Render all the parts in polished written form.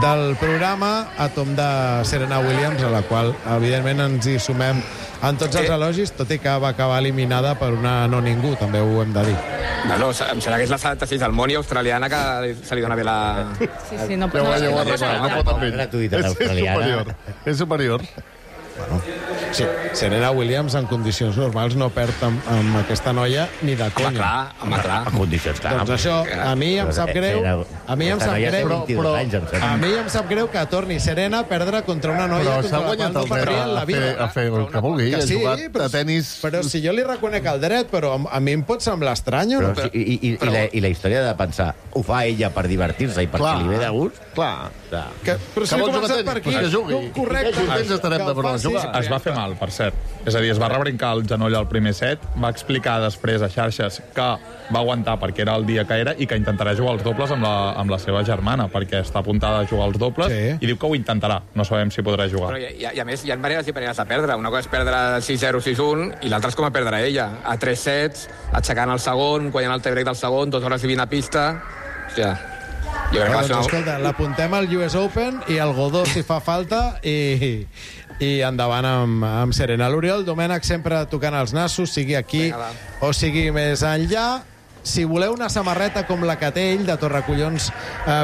del programa, a tom de Serena Williams, a la qual, evidentment, ens hi sumem en tots els elogis, tot i que va acabar eliminada per una no ningú, també ho hem de dir. No, em sembla que és la 76 del món i australiana que se li dona bé la... Sí, no pot És superior. Bueno, sí, Serena Williams en condicions normals no perd amb aquesta noia ni de conya. Home, clar. En condicions, clar. Doncs això, a mi em sap greu. A mi em sap greu que torni Serena a perdre contra una noia però s'ha guanyat el dret a fer el que vulgui. Ha jugat a tenis... Però si jo li reconec el dret, però a mi em pot semblar estrany. I la història de pensar, ho fa ella per divertir-se i perquè li ve de gust? Clar. Però si he començat per aquí, correcte. Es va fer mal, per cert. És a dir, es va rebrincar el genoll al primer set, va explicar després a xarxes que va aguantar perquè era el dia que era i que intentarà jugar els dobles amb la seva germana, perquè està apuntada a jugar els dobles i diu que ho intentarà. No sabem si podrà jugar. Però i a més, hi ha maneres i maneres de perdre. Una cosa és perdre 6-0, 6-1, i l'altra és com a perdre ella. A 3 sets, aixecant el segon, guanyant el tie-break del segon, 2 hores i 20 a pista... Hòstia... Escolta, l'apuntem al US Open i al Godó si fa falta i endavant amb Serena. L'Oriol Domènech sempre tocant els nassos, sigui aquí o sigui més enllà. Si voleu una samarreta com la que té ell de Torracollons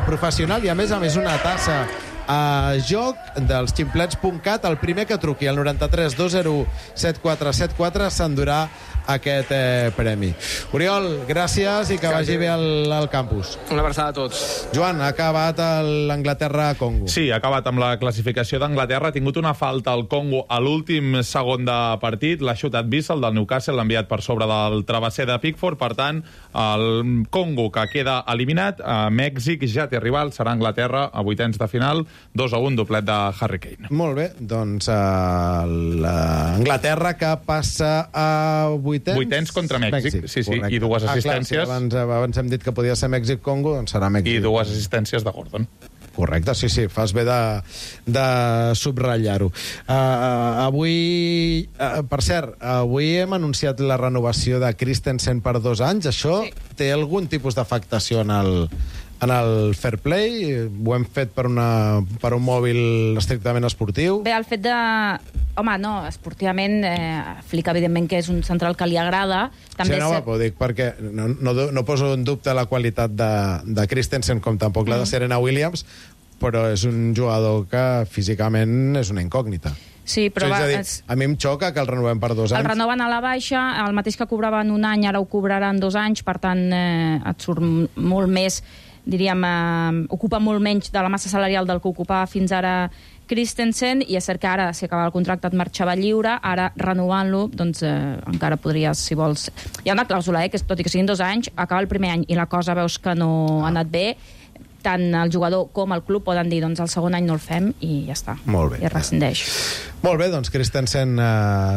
professional i a més una tassa a joc dels ximplets.cat, el primer que truqui al 93 201 7474 s'endurà aquest premi. Oriol, gràcies i que vagi bé al campus. Una abraçada a tots. Joan, ha acabat l'Anglaterra-Congo. Sí, ha acabat amb la classificació d'Anglaterra. Ha tingut una falta al Congo a l'últim segon de partit. L'ha xutat Bissell del Newcastle, l'ha enviat per sobre del travesser de Pickford. Per tant, el Congo, que queda eliminat, a Mèxic ja té rival, serà Anglaterra a vuitens de final, 2-1, doblet de Harry Kane. Molt bé, doncs l'Anglaterra que passa a vuitens contra Mèxic. Sí, i dues assistències. Clar, abans hem dit que podia ser Mèxic-Congo, doncs serà Mèxic. I dues assistències de Gordon. Correcte, sí, fas bé de subratllar-ho. Avui, per cert, avui hem anunciat la renovació de Christensen per 2 anys. Això té algun tipus d'afectació en el fair play? Ho hem fet per un mòbil estrictament esportiu? Bé, el fet de... Home, no, esportivament, Flick, evidentment, que és un central que li agrada. També ho dic perquè no poso en dubte la qualitat de Christensen, com tampoc la de Serena Williams, però és un jugador que físicament és una incògnita. Sí, però a mi em xoca que el renovem per 2 anys. El renoven a la baixa, el mateix que cobraven un any, ara ho cobraran 2 anys, per tant, et surt molt més, diríem, ocupa molt menys de la massa salarial del que ocupava fins ara Christensen, i és cert que ara, si acaba el contracte, et marxava lliure, ara renovant-lo, doncs encara podries, si vols... Hi ha una clàusula, que tot i que siguin 2 anys, acaba el primer any i la cosa veus que no ha anat bé, tant el jugador com el club poden dir, doncs el segon any no el fem i ja està. Molt bé. I es rescindeix. Molt bé, doncs Christensen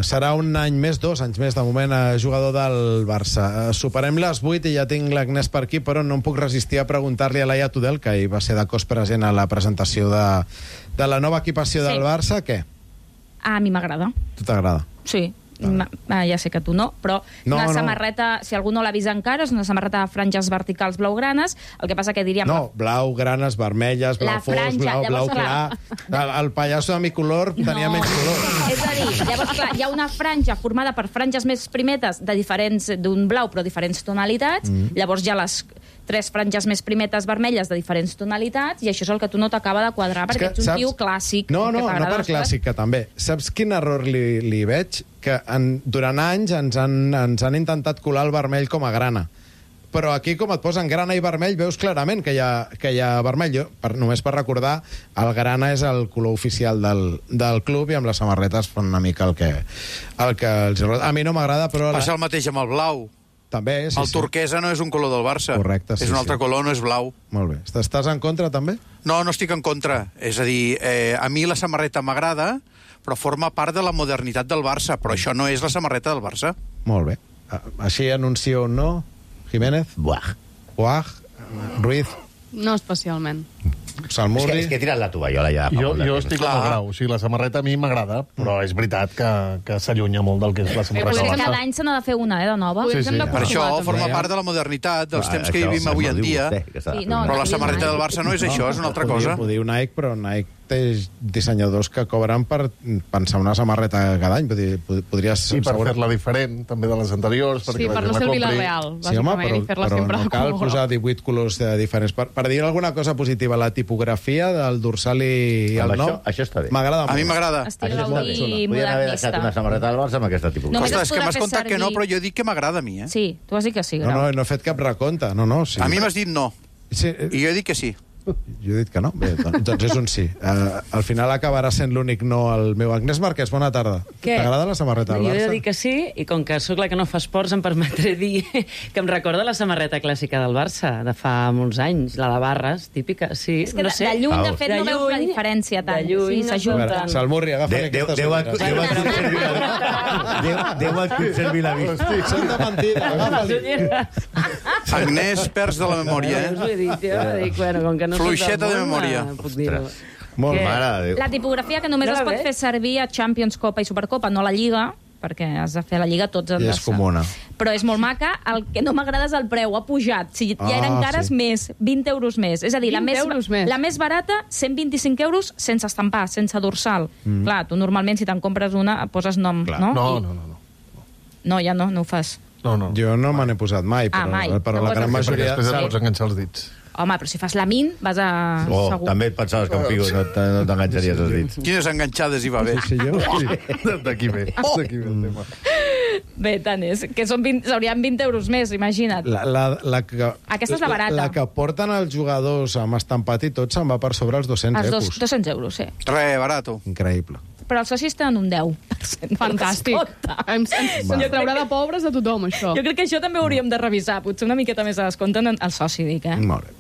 serà un any més, 2 anys més, de moment, jugador del Barça. Superem les 8 i ja tinc l'Agnès per aquí, però no em puc resistir a preguntar-li a Laia Tudel, que ahir va ser de cos present a la presentació de la nova equipació del Barça, què? A mi m'agrada. Tu t'agrada? Sí. Ja sé que tu no, però una samarreta, si algú no l'ha vist encara, és una samarreta de franges verticals blaugranes. El que passa que diríem... No, blau, granes, vermelles, blau fos, blau clar... El pallasso de mi color tenia menys color. És a dir, llavors, clar, hi ha una franja formada per franges més primetes d'un blau, però diferents tonalitats. Llavors hi ha les 3 franges més primetes vermelles de diferents tonalitats, i això és el que tu no t'acaba de quadrar, perquè ets un tio clàssic. No per clàssic, que també. Saps quin error li veig? Que durant anys ens han intentat colar el vermell com a grana. Però aquí, com et posen grana i vermell, veus clarament que hi ha vermell. Només per recordar, el grana és el color oficial del club, i amb les samarretes fan una mica el que els... A mi no m'agrada, però... Passa el mateix amb el blau. També, sí. El turquesa no és un color del Barça. Correcte, sí. És un altre color, no és blau. Molt bé. Estàs en contra, també? No estic en contra. És a dir, a mi la samarreta m'agrada, però forma part de la modernitat del Barça, però això no és la samarreta del Barça. Molt bé. Així anuncio un no? Jiménez? Buah. Ruiz? No especialment. Salmurri... És que he tirat la tovallola ja. Jo estic amb el Grau. O sigui, la samarreta a mi m'agrada, però és veritat que s'allunya molt del que és la samarreta. Potser cada any se n'ha de fer una, de nova. Sí. Per això forma part de la modernitat, dels temps que vivim avui en dia. Però la samarreta del Barça no és això, és una altra cosa. Ho diu Nike, però Nike té dissenyadors que cobren per pensar una samarreta cada any. Podria ser... I per fer-la diferent, també de les anteriors. Sí, per no servir la real, bàsicament, i fer-la sempre no cal posar 18 colors diferents. Per dir alguna cosa positiva, la tipografia del dorsal i el nom... Això està bé. M'agrada molt. A mi m'agrada. Estil Gaudí Podien haver deixat una samarreta del Barça amb aquesta tipografia. Ostres, és que m'has contat que no, però jo dic que m'agrada a mi, eh? Sí, tu has dit que sí, Grau. No he fet cap recompte. No, sí. A mi m'has dit no. Sí, I jo he dit que sí. Jo he dit que no. Bé, doncs és un sí. Al final acabarà sent l'únic no el meu. Agnès Marquès, bona tarda. T'agrada la samarreta del Barça? Jo he de dir que sí, i com que sóc la que no fa esports, em permetré dir que em recorda la samarreta clàssica del Barça, de fa molts anys, la de barres, típica. Sí, és que no sé. de lluny, de fet, no veus la diferència tant. De lluny, sí, s'ajunten. Salmurri, agafa aquestes Déu et conservi la vista. Són de mentida, agafa-li. Agnès, perds de la memòria, Us ho he dit, jo. Dic, bueno, com que no Fluixeta de memòria. Puc dir-ho. Molt mare de Déu. La tipografia que només es pot fer servir a Champions, Copa i Supercopa, no a la Lliga, perquè has de fer la Lliga tots han de I és comuna. Però és molt maca. El que no m'agrada és el preu, ha pujat. Si ja eren cares, més, 20 euros més. És a dir, la més barata, 125 euros sense estampar, sense dorsal. Clar, tu normalment, si te'n compres una, poses nom, no? No, ja no ho fas. No. Jo no me n'he posat mai, però la gran majoria... Després et pots enganxar els dits. Home, però si fas la min, vas a... segur. També et pensaves que en Figo no t'enganxaries els dits. Quines enganxades hi va haver? Sí, jo. D'aquí ve el tema. Bé, tant és. Que s'haurien 20 euros més, imagina't. Aquesta és la barata. La que porten els jugadors amb estampat i tot se'n va per sobre els 200 euros. 200 euros, sí. Barato. Increïble. Però els socis tenen un 10%. Fantàstic. Ens traurà de pobres a tothom, això. Jo crec que això també ho hauríem de revisar. Potser una miqueta més a descompte el soci, dic, eh? Molt bé.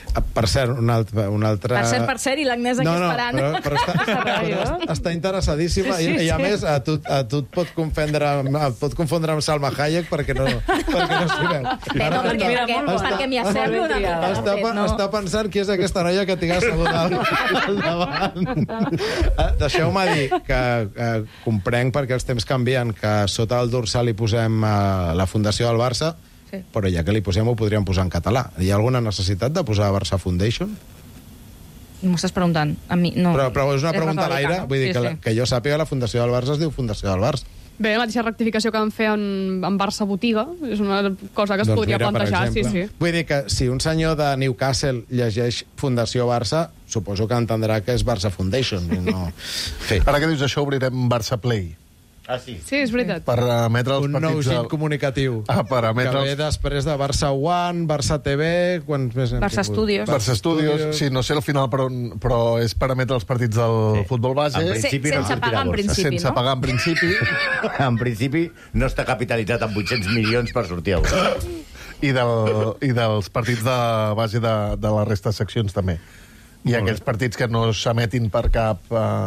Per cert, un altre... Per cert, i l'Agnès aquí esperant. Però està interessadíssima i a més a tu et pot confondre amb Salma Hayek perquè no s'hi veu. Perquè m'hi assemblo una mica. Està pensant qui és aquesta noia que tinc asseguda al davant. Deixeu-me dir que comprenc perquè els temps canvien, que sota el dorsal hi posem la Fundació del Barça. Sí. Però ja que li posem ho podríem posar en català. Hi ha alguna necessitat de posar Barça Foundation? M'ho estàs preguntant. A mi, no. Però és una pregunta a l'aire. Vull dir que jo sàpiga la Fundació del Barça es diu Fundació del Barça. Bé, la mateixa rectificació que vam fer en Barça Botiga és una cosa que es podria plantejar, sí. Vull dir que si un senyor de Newcastle llegeix Fundació Barça, suposo que entendrà que és Barça Foundation. Ara que dius això, obrirem Barça Play. Sí, és veritat. Per emetre els partits... Un nou gir comunicatiu. Per emetre que ve després de Barça One, Barça TV... Barça Studios. Barça Studios, sí, no sé al final, però és per emetre els partits del futbol base. Sense pagar en principi, no? Sense pagar en principi. En principi no està capitalitzat amb 800 milions per sortir a bola. I dels partits de base de la resta de seccions, també. I aquells partits que no s'emetin per cap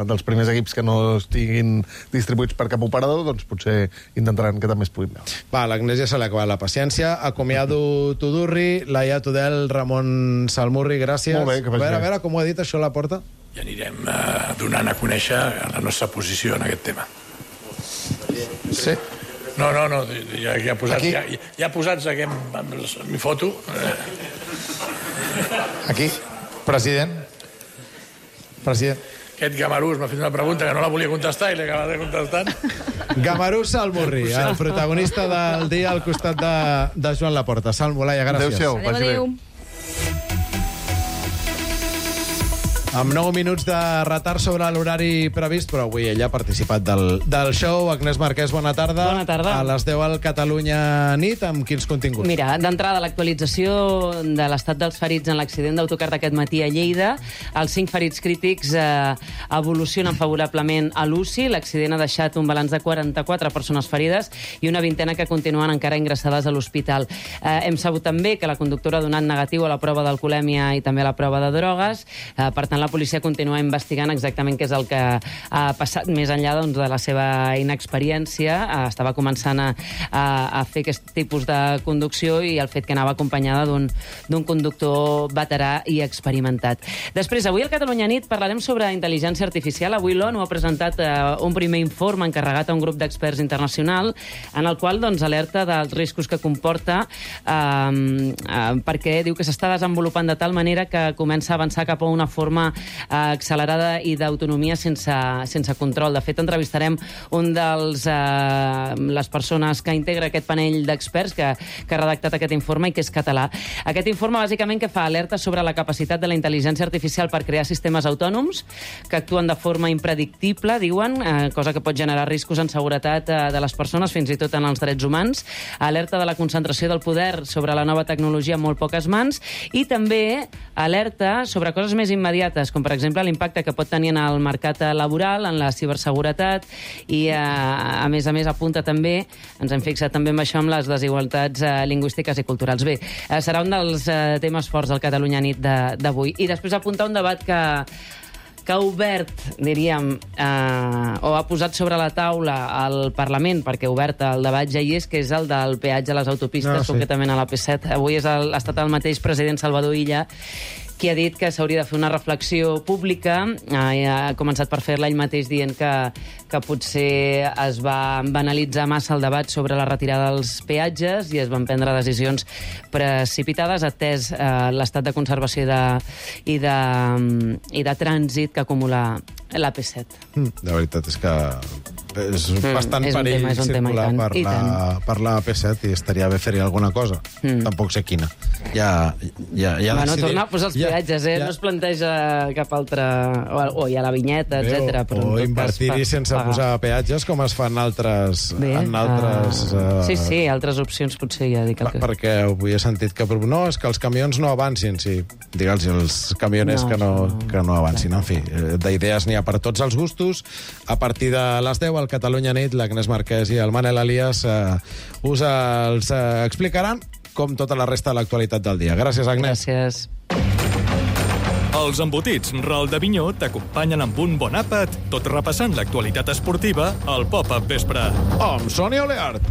dels primers equips que no estiguin distribuïts per cap operador, doncs potser intentaran que també es puguin veure. Va, l'Agnès ja se li ha acabat la paciència. Acomiado Tudurri, Laia Tudel, Ramon Salmurri, gràcies. Molt bé, que vagi bé. A veure, com ho ha dit això a la porta? I anirem donant a conèixer la nostra posició en aquest tema. Sí. No, ja posats aquí amb mi foto. Aquí? President. Aquest Gamarús m'ha fet una pregunta que no la volia contestar i l'he acabat contestant. Gamarús Salmurri, el protagonista del dia al costat de Joan Laporta. Salmo, Laia, gràcies. Adéu-siau. Adéu. Amb 9 minuts de retard sobre l'horari previst, però avui ella ha participat del show. Agnès Marquès, bona tarda. Bona tarda. A les 10 al Catalunya Nit, amb quins continguts? Mira, d'entrada, l'actualització de l'estat dels ferits en l'accident d'autocar d'aquest matí a Lleida. Els 5 ferits crítics evolucionen favorablement a l'UCI. L'accident ha deixat un balanç de 44 persones ferides i una vintena que continuen encara ingressades a l'hospital. Hem sabut també que la conductora ha donat negatiu a la prova d'alcoholèmia i també a la prova de drogues. Per tant, la policia continua investigant exactament què és el que ha passat més enllà doncs, de la seva inexperiència. Estava començant a fer aquest tipus de conducció i el fet que anava acompanyada d'un conductor veterà i experimentat. Després, avui al Catalunya Nit parlarem sobre intel·ligència artificial. Avui l'ONU ha presentat un primer informe encarregat a un grup d'experts internacional en el qual doncs, alerta dels riscos que comporta perquè diu que s'està desenvolupant de tal manera que comença a avançar cap a una forma accelerada i d'autonomia sense control. De fet, entrevistarem un dels les persones que integra aquest panell d'experts que ha redactat aquest informe i que és català. Aquest informe, bàsicament, que fa alerta sobre la capacitat de la intel·ligència artificial per crear sistemes autònoms que actuen de forma impredictible, diuen, cosa que pot generar riscos en seguretat de les persones, fins i tot en els drets humans. Alerta de la concentració del poder sobre la nova tecnologia en molt poques mans i també alerta sobre coses més immediates, com per exemple l'impacte que pot tenir en el mercat laboral, en la ciberseguretat i a més apunta també, ens hem fixat també amb això, amb les desigualtats lingüístiques i culturals. Bé, serà un dels temes forts del Catalunya Nit d'avui. I després apuntar un debat que ha obert, diríem, o ha posat sobre la taula al Parlament, perquè obert el debat ja hi és, que és el del peatge a les autopistes, concretament a la P7. Avui ha estat el mateix president Salvador Illa qui ha dit que s'hauria de fer una reflexió pública. Ha començat per fer-la ell mateix dient que potser es va banalitzar massa el debat sobre la retirada dels peatges i es van prendre decisions precipitades, atès l'estat de conservació i de trànsit que acumula la P7. La veritat és que és bastant perill circular per la P7 i estaria bé fer-hi alguna cosa. Tampoc sé quina. Bueno, tornar a posar els peatges, no es planteja cap altra... O hi ha la vinyeta, etc. O invertir-hi sense posar peatges, com es fan altres... Sí, altres opcions potser ja dic el que... Perquè avui he sentit que... No, és que els camions no avancin, sí. Digue'ls als camioners que no avancin. En fi, d'idees n'hi ha per tots els gustos. A partir de les 10 al Catalunya Nit, l'Agnès Marquès i el Manel Elias us els explicaran com tota la resta de l'actualitat del dia. Gràcies, Agnès. Gràcies. Els embotits Ral de Vinyó t'acompanyen amb un bon àpat, tot repassant l'actualitat esportiva al Pop-Up Vespre. Amb Sònia Oleart.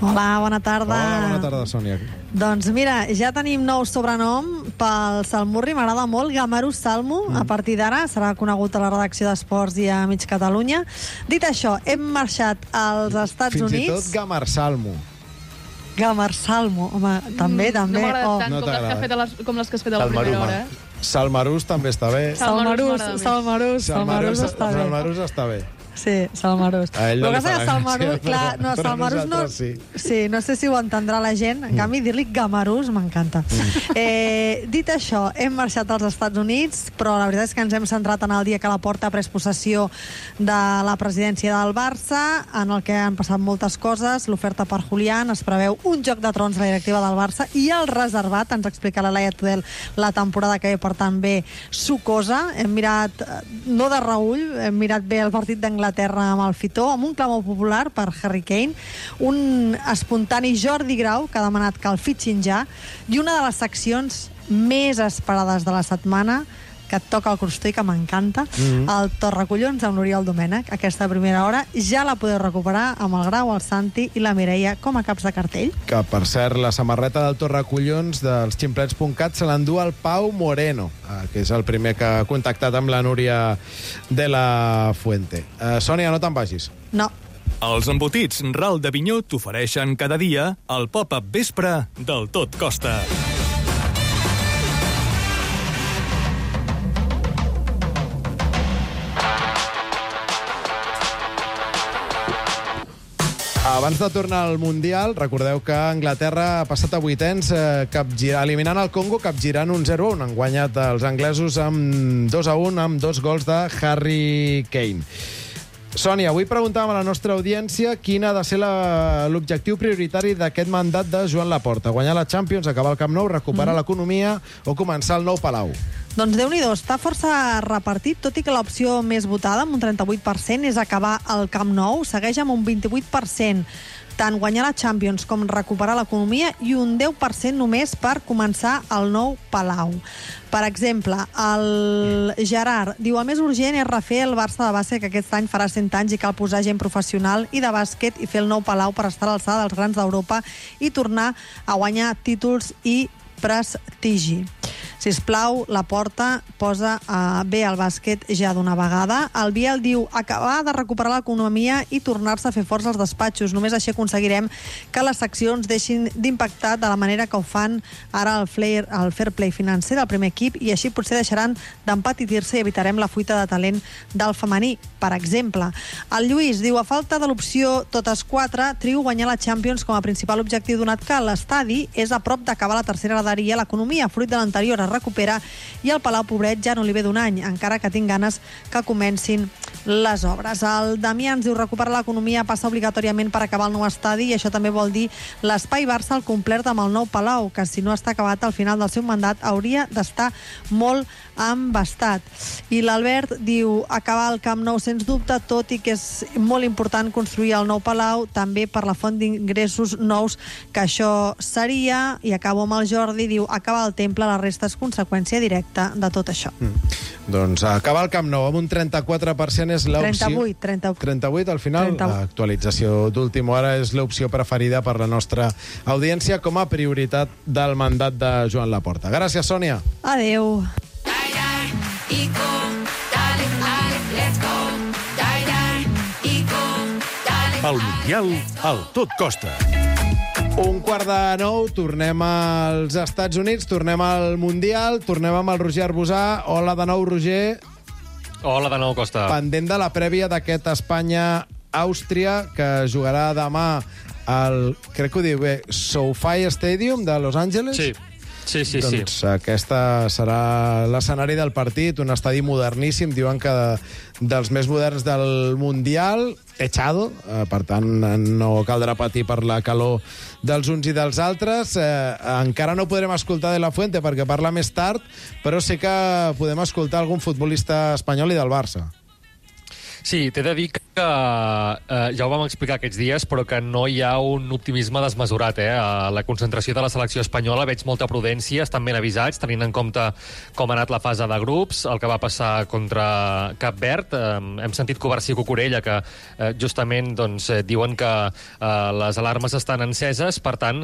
Hola, bona tarda. Hola, bona tarda, Sònia. Doncs mira, ja tenim nou sobrenom pel Salmurri, m'agrada molt, Gamarús Salmo, a partir d'ara serà conegut a la redacció d'Esports i a Mig Catalunya. Dit això, hem marxat als Estats Units... Fins i tot Gamar Salmo. Gamar Salmo, home, també. No m'ha agradat tant com les que has fet a la primera hora, Salmarús també està bé. Salmarús està bé. Sí, Salmarús. A ell no li fa Salmarús, clar, no, Salmarús no... Sí, no sé si ho entendrà la gent. En canvi, dir-li Gamarús m'encanta. Dit això, hem marxat als Estats Units, però la veritat és que ens hem centrat en el dia que la Porta ha pres possessió de la presidència del Barça, en el que han passat moltes coses, l'oferta per Julián, es preveu un Joc de Trons a la directiva del Barça i el reservat, ens explica la Laia Tudel, la temporada que ve, per tant, bé sucosa. Hem mirat, no de reüll, hem mirat bé el partit d'Anglaterra amb el Fitó, amb un clamor popular per Harry Kane, un espontani Jordi Grau que ha demanat que el fitxin ja, i una de les seccions més esperades de la setmana, que et toca el crostó i que m'encanta, el Torracollons amb l'Oriol Domènech. Aquesta primera hora ja la podeu recuperar amb el Grau, el Santi i la Mireia com a caps de cartell. Que, per cert, la samarreta del Torracollons dels ximplets.cat se l'endú el Pau Moreno, que és el primer que ha contactat amb la Núria de la Fuente. Sònia, no te'n vagis. No. Els embotits Ral de Vinyó t'ofereixen cada dia el Pop-Up Vespre del Tot Costa. Abans de tornar al Mundial, recordeu que Anglaterra ha passat a vuitens eliminant el Congo, capgirant un 0-1. Han guanyat els anglesos amb 2-1 amb 2 gols de Harry Kane. Sònia, avui preguntàvem a la nostra audiència quin ha de ser l'objectiu prioritari d'aquest mandat de Joan Laporta. Guanyar la Champions, acabar el Camp Nou, recuperar l'economia o començar el nou Palau. Doncs Déu-n'hi-do, està força repartit, tot i que l'opció més votada, amb un 38%, és acabar el Camp Nou. Segueix amb un 28% tant guanyar la Champions com recuperar l'economia i un 10% només per començar el nou Palau. Per exemple, el Gerard diu: el més urgent és refer el Barça de base, que aquest any farà 100 anys i cal posar gent professional i de bàsquet i fer el nou Palau per estar a l'alçada dels grans d'Europa i tornar a guanyar títols i prestigi. Sisplau, la Porta posa bé el bàsquet ja d'una vegada. El Biel diu: acabar de recuperar l'economia i tornar-se a fer forts als despatxos. Només així aconseguirem que les seccions deixin d'impactar de la manera que ho fan ara el fair play financer del primer equip, i així potser deixaran d'empatitir-se i evitarem la fuita de talent del femení, per exemple. El Lluís diu: a falta de l'opció totes 4, trio guanyar la Champions com a principal objectiu, donat que l'estadi és a prop d'acabar la tercera graderia, l'economia, fruit de l'anterior, es recupera i el Palau pobret ja no li ve d'un any, encara que tinc ganes que comencin les obres. El Damià ens diu: recuperar l'economia passa obligatòriament per acabar el nou estadi, i això també vol dir l'espai Barça al complet amb el nou Palau, que si no està acabat al final del seu mandat hauria d'estar molt embastat. I l'Albert diu: acabar el Camp Nou sens dubte, tot i que és molt important construir el nou Palau, també per la font d'ingressos nous que això seria. I acabo amb el Jordi, diu: acabar el Temple, la resta és conseqüència directa de tot això. Doncs acabar el Camp Nou amb un 34% és l'opció... 38 al final? 38. L'actualització d'última hora és l'opció preferida per la nostra audiència com a prioritat del mandat de Joan Laporta. Gràcies, Sònia. Adéu. El Mundial al Tot Costa. 8:45, tornem als Estats Units, tornem al Mundial, tornem amb el Roger Arbusà. Hola de nou, Roger. Hola de nou, Costa. Pendent de la prèvia d'aquest Espanya-Àustria, que jugarà demà al, crec que ho diu bé, SoFi Stadium de Los Angeles. Sí. Sí. Doncs aquesta serà l'escenari del partit, un estadi moderníssim, diuen que dels més moderns del Mundial, techado, per tant no caldrà patir per la calor dels uns i dels altres. Encara no podrem escoltar De La Fuente perquè parla més tard, però sí que podem escoltar algun futbolista espanyol i del Barça. Sí, t'he de dir que ja ho vam explicar aquests dies, però que no hi ha un optimisme desmesurat. A la concentració de la selecció espanyola veig molta prudència, estan ben avisats, tenint en compte com ha anat la fase de grups, el que va passar contra Cap Verd. Hem sentit Covarsí i Cucurella, que justament diuen que les alarmes estan enceses, per tant,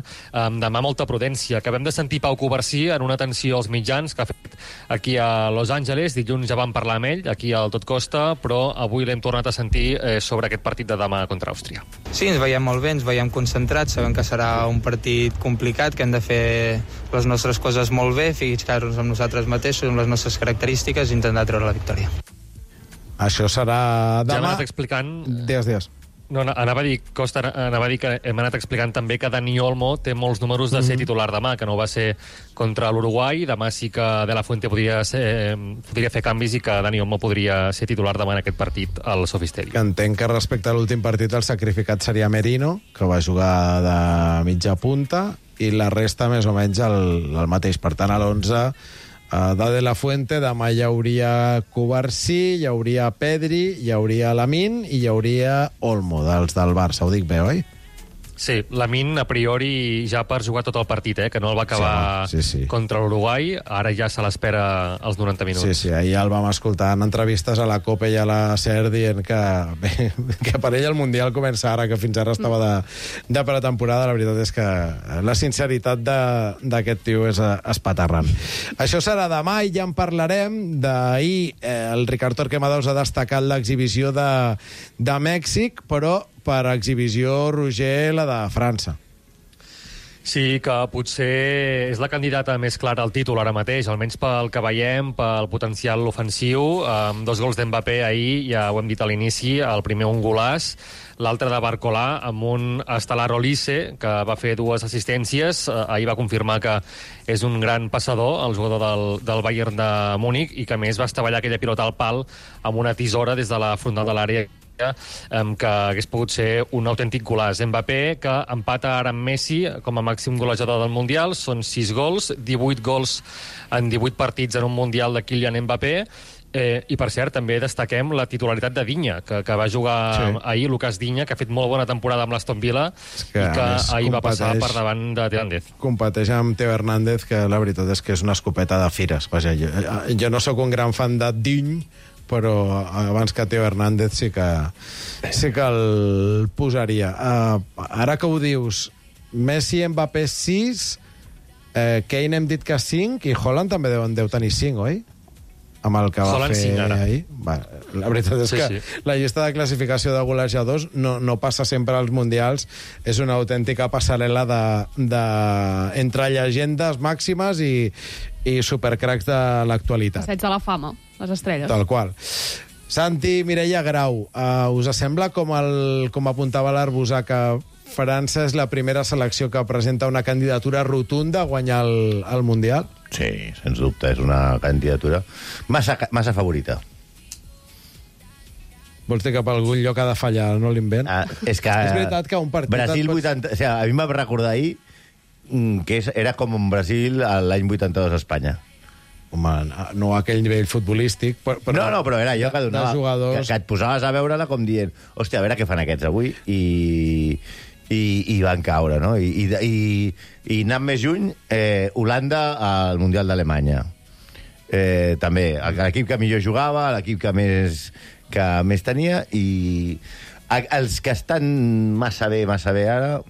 demà molta prudència. Acabem de sentir Pau Covarsí en una atenció als mitjans que ha fet aquí a Los Angeles. Dilluns ja vam parlar amb ell, aquí al Tot Costa, però avui l'hem tornat a sentir sobre aquest partit de demà contra Àustria. Sí, ens veiem molt bé, ens veiem concentrats, sabem que serà un partit complicat, que hem de fer les nostres coses molt bé, fixar-nos amb nosaltres mateixos, amb les nostres característiques, i intentar treure la victòria. Això serà demà. Ja m'ha anat explicant... Dies. No, anava a dir, Costa, que hem anat explicant també que Dani Olmo té molts números de ser titular demà, que no va ser contra l'Uruguai. Demà sí que De La Fuente podria fer canvis i que Dani Olmo podria ser titular demà en aquest partit al SoFi Stadium. Que entenc que respecte a l'últim partit el sacrificat seria Merino, que va jugar de mitja punta, i la resta més o menys el mateix. Per tant, a l'11 de La Fuente, demà hi hauria Covarsí, hi hauria Pedri, hi hauria Lamine i hi hauria Olmo, dels del Barça. Ho dic bé, oi? Sí, Lamine a priori ja per jugar tot el partit, que no el va acabar contra l'Uruguai, ara ja se l'espera als 90 minuts. Sí, ahir el vam escoltar en entrevistes a la Copa i a la SER dient que per ell el Mundial comença ara, que fins ara estava de pretemporada. La veritat és que la sinceritat d'aquest tio és espaterrant. Això serà demà i ja en parlarem. D'ahir el Ricard Torquemadaus ha destacat l'exhibició de Mèxic, però per exhibició, Roger, la de França. Sí, que potser és la candidata més clara al títol ara mateix, almenys pel que veiem, pel potencial ofensiu. Amb 2 gols d'Mbappé ahir, ja ho hem dit a l'inici, el primer un golàs, l'altre de Barcolà, amb un Estelar Olise, que va fer 2 assistències. Ahir va confirmar que és un gran passador, el jugador del Bayern de Múnich, i que a més va estavellar aquella pilota al pal amb una tisora des de la frontal de l'àrea, que hagués pogut ser un autèntic golàs. Mbappé, que empata ara amb Messi com a màxim golejador del Mundial, són 6 gols, 18 gols en 18 partits en un Mundial de Kylian Mbappé, I, per cert, també destaquem la titularitat de Dinya, que va jugar ahir, Lucas Dinya, que ha fet molt bona temporada amb l'Aston Villa i que ahir va passar per davant de Teo Hernández. Competeix amb Teo Hernández, que la veritat és que és una escopeta de fires. Vaja, jo no sóc un gran fan de Diny, però abans que Teo Hernández sí que el posaria. Ara que ho dius, Messi, Mbappé 6, Kane hem dit que 5, i Haaland també deu tenir 5, oi? Amb el que va fer ahir. La veritat és que la llista de classificació de golejadors no passa sempre als mundials. És una autèntica passarel·la entre llegendes màximes i supercracs de l'actualitat. Passeig de la fama, les estrelles. Tal qual. Santi, Mireia Grau, us sembla, com apuntava l'Arbusà, que França és la primera selecció que presenta una candidatura rotunda a guanyar el Mundial? Sí, sens dubte, és una candidatura massa favorita. Vols dir que per algun lloc ha de fallar, no l'invent? És veritat que un partit... Brasil 80... O sigui, a mi em va recordar ahir que era com un Brasil l'any 82 a Espanya. Home, no a aquell nivell futbolístic, però... No, però era allò que donava... Que et posaves a veure-la com dient, hòstia, a veure què fan aquests avui, i van caure, no? I anant més juny, Holanda al Mundial d'Alemanya. També, l'equip que millor jugava, l'equip que més tenia, i els que estan massa bé ara,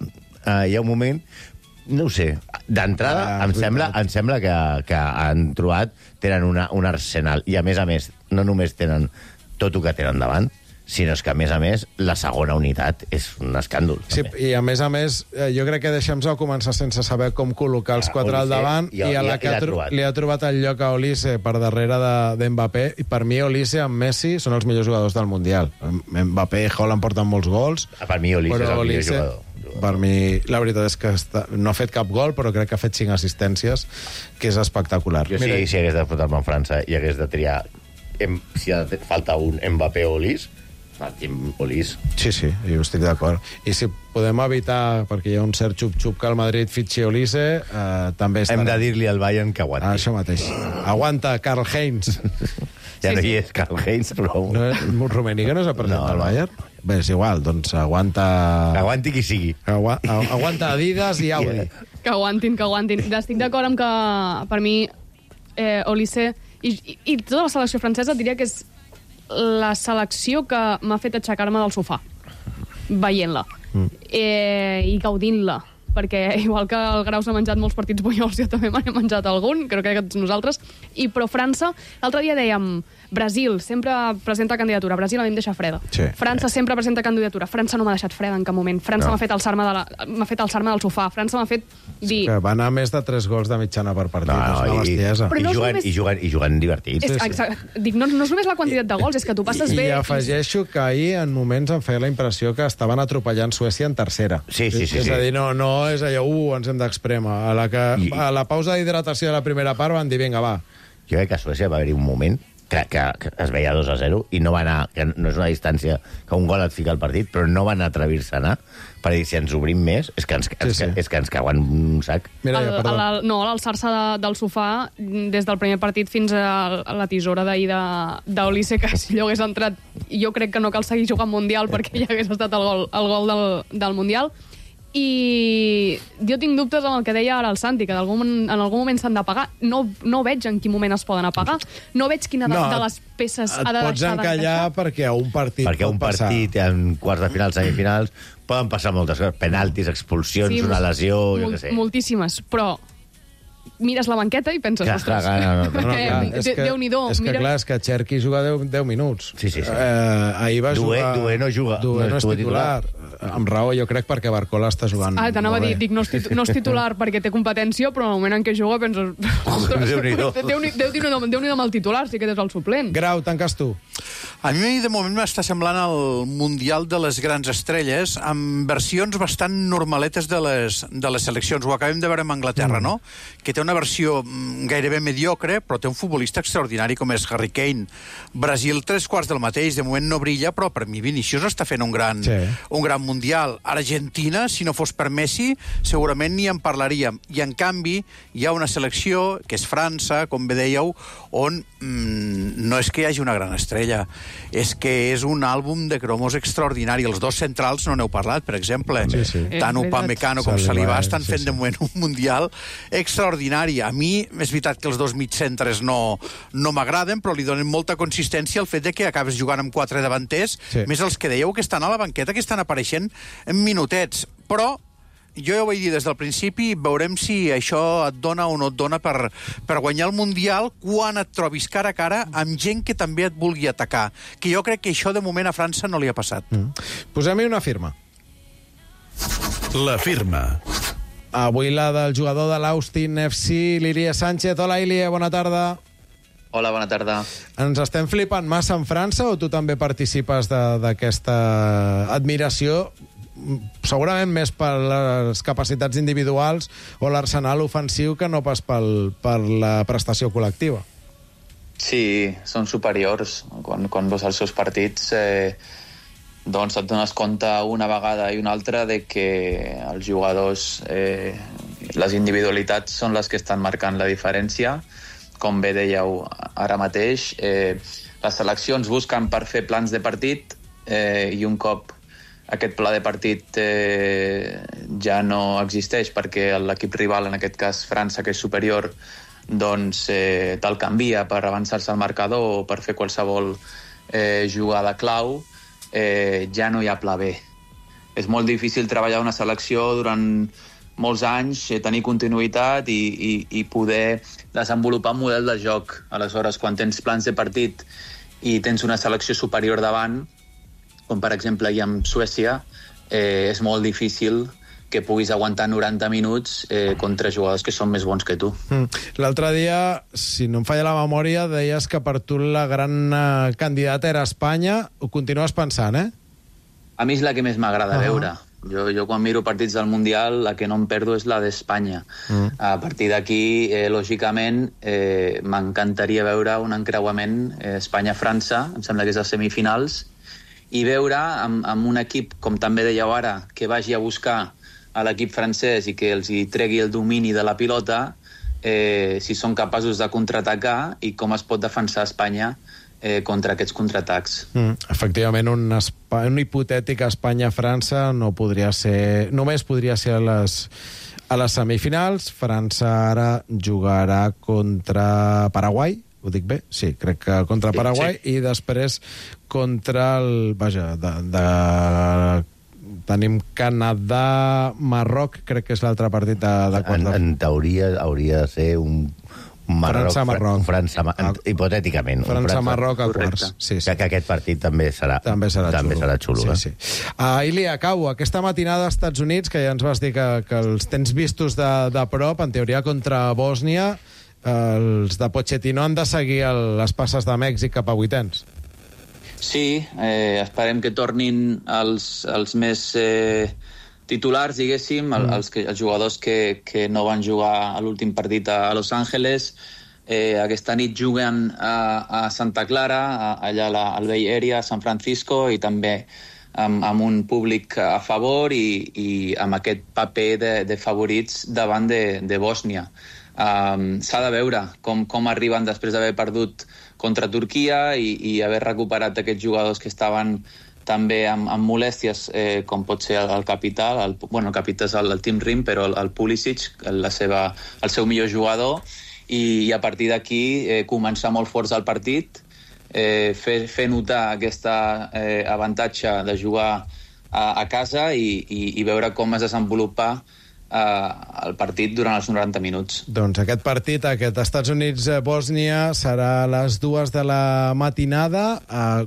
hi ha un moment, no ho sé, d'entrada em sembla que han trobat, tenen un arsenal, i a més, no només tenen tot el que tenen davant, sinó que, a més, la segona unitat és un escàndol. Sí, i a més, jo crec que Deschamps va començar sense saber com col·locar els quatre al davant, i a la que li ha trobat el lloc a Olise per darrere d'Mbappé, i per mi Olise amb Messi són els millors jugadors del Mundial. Mbappé i Haaland porten molts gols. Per mi Olise és el millor jugador. Per mi, la veritat és que no ha fet cap gol, però crec que ha fet 5 assistències, que és espectacular. Jo si hagués de fotre-me amb França i hagués de triar si falta un Mbappé o Olise, Olís. Sí, jo estic d'acord. I si podem evitar, perquè hi ha un cert xup-xup que el Madrid fitxi Olise, també estarà. Hem de dir-li al Bayern que aguanti. Això mateix. Aguanta, Karl-Heinz. Ja no hi és Karl-Heinz, però... Rummenigge no s'ha presentat al Bayern? Bé, és igual, doncs aguanta... Aguanti qui sigui. Aguanta Adidas i Audi. Que aguantin. Estic d'acord amb que, per mi, Olise i tota la selecció francesa diria que és la selecció que m'ha fet aixecar-me del sofà veient-la i gaudint-la, perquè igual que el Grau s'ha menjat molts partits bunyols, jo també m'he menjat algun, crec que tots nosaltres, però França, l'altre dia dèiem Brasil sempre presenta candidatura, Brasil a mi em deixa freda. França sempre presenta candidatura, França no m'ha deixat freda en cap moment, França m'ha fet alçar-me del sofà, França m'ha fet dir... Que va anar més de 3 gols de mitjana per partit, és una bestiesa. I juguen divertits. Dic, no és només la quantitat de gols, és que tu passes bé... I afegeixo que ahir en moments em feia la impressió que estaven atropellant Suècia en tercera. Sí. És a dir, no és allò, ens hem d'exprema. A la pausa d'hidratació de la primera part van dir, vinga, va. Jo crec que a Suècia va haver-hi un moment que es veia 2-0 i no va anar, que no és una distància que un gol et fica al partit, però no van atrevir-se a anar per dir, si ens obrim més, és que ens cauen un sac. A l'alçar-se del sofà, des del primer partit fins a la tisora d'ahir d'Olise, que si allò hagués entrat, jo crec que no cal seguir jugant Mundial perquè ja hagués estat el gol del Mundial. I jo tinc dubtes amb el que deia ara el Santi, que en algun moment s'han de pagar. No veig en quin moment es poden apagar. No veig quina de les peces ha de deixar d'encaixar. Et pots encallar perquè a un partit perquè un partit, en quarts de finals, semifinals, poden passar moltes coses. Penaltis, expulsions, una lesió, jo què sé. Moltíssimes, però mires la banqueta i penses, ostres, Déu-n'hi-do. És que clar, és que Cherki juga 10 minuts. Sí. Ahir va jugar... Dué no juga. Dué no és titular. Amb raó, jo crec, perquè Barcola està jugant... T'anava a dir, dic, no és titular perquè té competència, però en el moment en què juga penses... Déu-n'hi-do. Déu-n'hi-do amb el titular, sí que és el suplent. Grau, tanques tu. A mi, de moment, m'està semblant el Mundial de les grans estrelles, amb versions bastant normaletes de les seleccions. Ho acabem de veure amb Anglaterra, no? Que té una versió gairebé mediocre, però té un futbolista extraordinari com és Harry Kane. Brasil, 3/4 del mateix. De moment no brilla, però per mi Vinícius està fent un gran Mundial. Argentina, si no fos per Messi, segurament ni en parlaríem. I, en canvi, hi ha una selecció, que és França, com bé dèieu, on no és que hi hagi una gran estrella, és que és un àlbum de cromos extraordinari. Els dos centrals no n'heu parlat, per exemple. Tant Upamecano com Saliba estan fent de moment un Mundial extraordinari. A mi, és veritat que els dos mitjcentres no m'agraden, però li donen molta consistència al fet de que acabes jugant amb 4 davanters, més els que dèieu que estan a la banqueta, que estan apareixent en minutets. Però jo ja ho vaig dir des del principi, veurem si això et dona o no et dona per guanyar el Mundial quan et trobis cara a cara amb gent que també et vulgui atacar. Que jo crec que això de moment a França no li ha passat. Posem-hi una firma. La firma. Avui la del jugador de l'Austin FC, l'Ilie Sánchez. Hola, Ilie, bona tarda. Hola, bona tarda. Ens estem flipant massa en França o tu també participes d'aquesta admiració, segurament més per les capacitats individuals o l'arsenal ofensiu que no pas per la prestació col·lectiva? Sí, són superiors. Quan veus els seus partits doncs et dones compte una vegada i una altra de que els jugadors, les individualitats són les que estan marcant la diferència. Com bé dèieu ara mateix, les seleccions busquen per fer plans de partit i un cop aquest pla de partit ja no existeix perquè l'equip rival, en aquest cas França, que és superior, doncs te'l canvia per avançar-se al marcador o per fer qualsevol jugada clau, ja no hi ha pla B. És molt difícil treballar una selecció durant molts anys, tenir continuïtat i poder desenvolupar un model de joc. Aleshores, quan tens plans de partit i tens una selecció superior davant, com per exemple hi amb Suècia, és molt difícil que puguis aguantar 90 minuts contra jugadors que són més bons que tu. L'altre dia, si no em falla la memòria, deies que per tu la gran candidata era Espanya. Ho continues pensant, eh? A mi és la que més m'agrada veure. Jo quan miro partits del Mundial, la que no em perdo és la d'Espanya. A partir d'aquí, lògicament, m'encantaria veure un encreuament Espanya-França, em sembla que és a semifinals, i veure amb un equip, com també dèieu ara, que vagi a buscar a l'equip francès i que els hi tregui el domini de la pilota, si són capaços de contraatacar i com es pot defensar Espanya contra aquests contraatacs. Efectivament, un hipotètic Espanya-França no podria ser, només podria ser a les semifinals. França ara jugarà contra Paraguai, ho dic bé? Sí, crec que contra Paraguai, i després contra el... Vaja, tenim Canadà, Marroc, crec que és l'altre partit de quarts. En teoria hauria de ser un Marroc, França, hipotèticament. França-Marroc a quarts. Sí. Que aquest partit també serà xulo. Sí. Ilie, acabo. Aquesta matinada als Estats Units, que ja ens vas dir que els tens vistos de prop, en teoria contra Bòsnia, els de Pochettino han de seguir les passes de Mèxic cap a vuitens. Sí, esperem que tornin els més titulars, diguéssim, els jugadors que no van jugar a l'últim partit a Los Angeles. Aquesta nit juguen a Santa Clara, allà al Bay Area, a San Francisco, i també amb un públic a favor i amb aquest paper de favorits davant de Bòsnia. S'ha de veure com arriben després d'haver perdut contra Turquia i haver recuperat aquests jugadors que estaven també amb molèsties, com pot ser el capità, el capità és el Tim Rim, però el Pulisic, el seu millor jugador, i a partir d'aquí començar molt forts al partit, fer notar aquest avantatge de jugar a casa i veure com es desenvolupa el partit durant els 90 minuts. Doncs aquest partit, aquest Estats Units-Bòsnia, serà a les 2 de la matinada.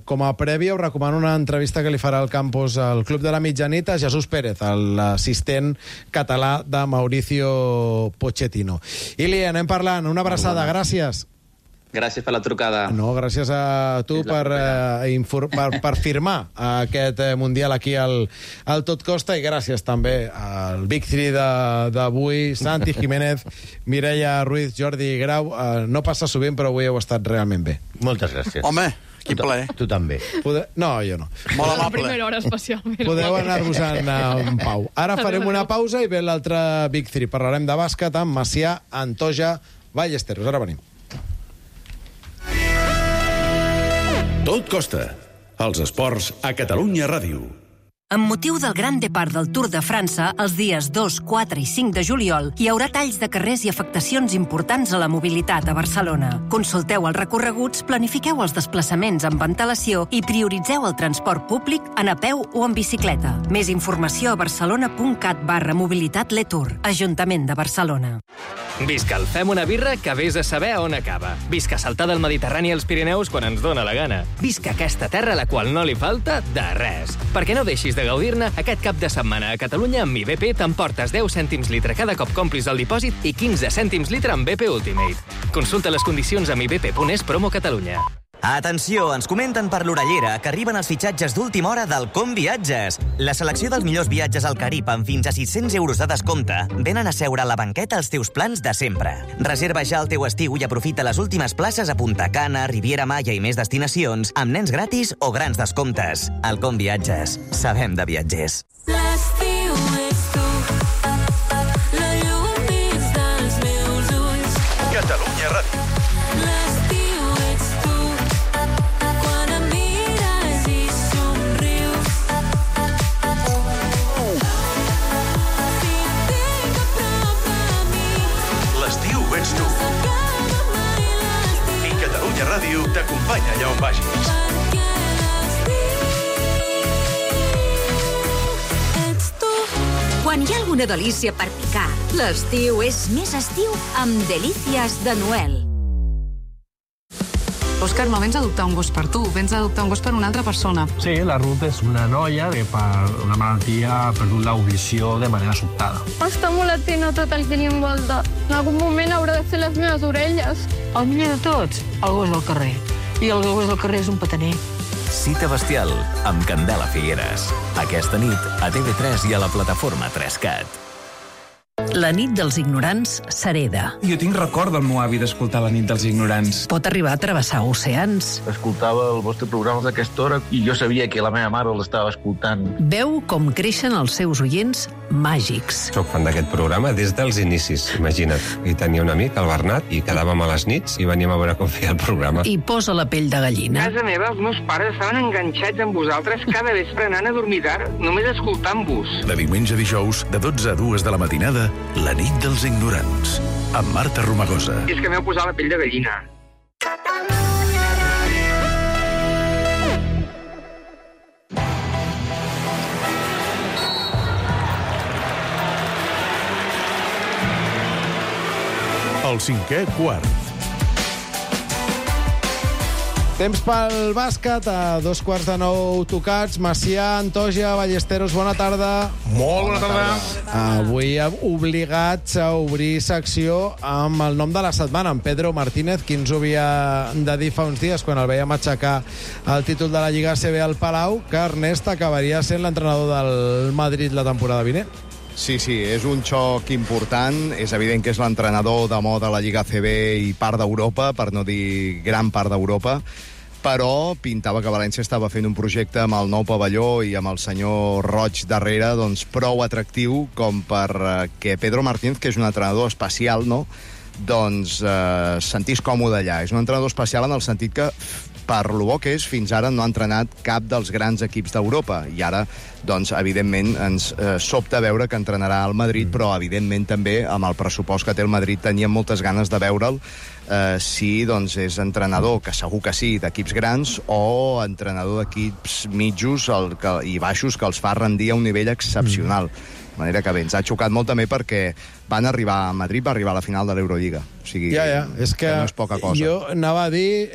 Com a prèvia, us recomano una entrevista que li farà al campus al Club de la Mitjanit a Jesús Pérez, l'assistent català de Mauricio Pochettino. Ilie, anem parlant. Una abraçada, gràcies. Gràcies per la trucada. No, gràcies a tu per firmar aquest Mundial aquí al Tot Costa, i gràcies també al Big 3 d'avui, Santi Jiménez, Mireia Ruiz, Jordi Grau. No passa sovint, però avui heu estat realment bé. Moltes gràcies. Home, quin plaer. Tu també. No, jo no. Molt La amable. primera hora especialment. Podeu anar-vos-en en pau. Ara farem una pausa i ve l'altre Big 3. Parlarem de bàsquet amb Macià, Antoja, Ballesteros. Ara venim. Tot costa. Els esports a Catalunya Ràdio. Amb motiu del Gran Depart del Tour de França, els dies 2, 4 i 5 de juliol, hi haurà talls de carrers i afectacions importants a la mobilitat a Barcelona. Consulteu els recorreguts, planifiqueu els desplaçaments amb antelació i prioritzeu el transport públic en a peu o en bicicleta. Més informació a barcelona.cat/mobilitat-letour. Ajuntament de Barcelona. Visca el Fem una birra que vés a saber on acaba. Visca saltar del Mediterrani als Pirineus quan ens dóna la gana. Visca aquesta terra a la qual no li falta de res. Perquè no deixis de gaudir-ne, aquest cap de setmana a Catalunya amb IBP t'emportes 10 cèntims litre cada cop complis el dipòsit i 15 cèntims litre amb BP Ultimate. Consulta les condicions amb ibp.es promo Catalunya. Atenció, ens comenten per l'orellera que arriben els fitxatges d'última hora del Com Viatges. La selecció dels millors viatges al Carib amb fins a 600 euros de descompte venen a seure a la banqueta als teus plans de sempre. Reserva ja el teu estiu i aprofita les últimes places a Punta Cana, Riviera Maya i més destinacions amb nens gratis o grans descomptes. Al Com Viatges. Sabem de viatgers. L'estiu és tu, la llum dins dels meus ulls. Catalunya Ràdio. Ets tu. I Catalunya Ràdio t'acompanya allà on vagis. Quan hi ha alguna delícia per picar, l'estiu és més estiu amb Delícies de Noel. Òscar, no vens a adoptar un gos per tu, vens a adoptar un gos per una altra persona. Sí, la Ruth és una noia que per una malaltia ha perdut l'audició de manera sobtada. Està molt atent a tot el que li envolta. En algun moment haurà de fer les meves orelles. El millor de tots, el gos del carrer. I el gos del carrer és un petaner. Cita bestial amb Candela Figueres. Aquesta nit a TV3 i a la plataforma 3Cat. La nit dels ignorants s'hereda. Jo tinc record del meu avi d'escoltar La nit dels ignorants. Pot arribar a travessar oceans. Escoltava el vostre programa d'aquesta hora i jo sabia que la meva mare l'estava escoltant. Veu com creixen els seus oients màgics. Soc fan d'aquest programa des dels inicis, imagina't. I tenia un amic, el Bernat, i quedàvem a les nits i veníem a veure com feia el programa. I posa la pell de gallina. A casa meva, els meus pares estaven enganxats amb vosaltres cada vespre anant a dormir tard, només escoltant-vos. De diumenge a dijous, de 12 a 2 de la matinada, La nit dels ignorants, amb Marta Romagosa. I és que m'heu posat la pell de gallina. El cinquè quart. Temps pel bàsquet, a 8:45 tocats. Macià, Antoja, Ballesteros, bona tarda. Molt bona tarda. Avui obligats a obrir secció amb el nom de la setmana, en Pedro Martínez, qui ens ho havia de dir fa uns dies, quan el veiem aixecar el títol de la Lliga ACB al Palau, que Ernest acabaria sent l'entrenador del Madrid la temporada vinent. Sí, és un xoc important. És evident que és l'entrenador de moda a la Lliga ACB i part d'Europa, per no dir gran part d'Europa, però pintava que València estava fent un projecte amb el nou pavelló i amb el senyor Roig darrere, doncs prou atractiu com per que Pedro Martínez, que és un entrenador especial, no?, doncs sentís còmode allà. És un entrenador especial en el sentit que, per lo bo que és, fins ara no ha entrenat cap dels grans equips d'Europa. I ara, doncs, evidentment, ens sobta veure que entrenarà al Madrid, però, evidentment, també, amb el pressupost que té el Madrid, teníem moltes ganes de veure'l si, doncs, és entrenador, que segur que sí, d'equips grans, o entrenador d'equips mitjos i baixos que els fa rendir a un nivell excepcional. De manera que bé, ens ha xocat molt també perquè Madrid va arribar a la final de l'Eurolliga. O sigui, és que no és poca cosa. Jo anava a dir,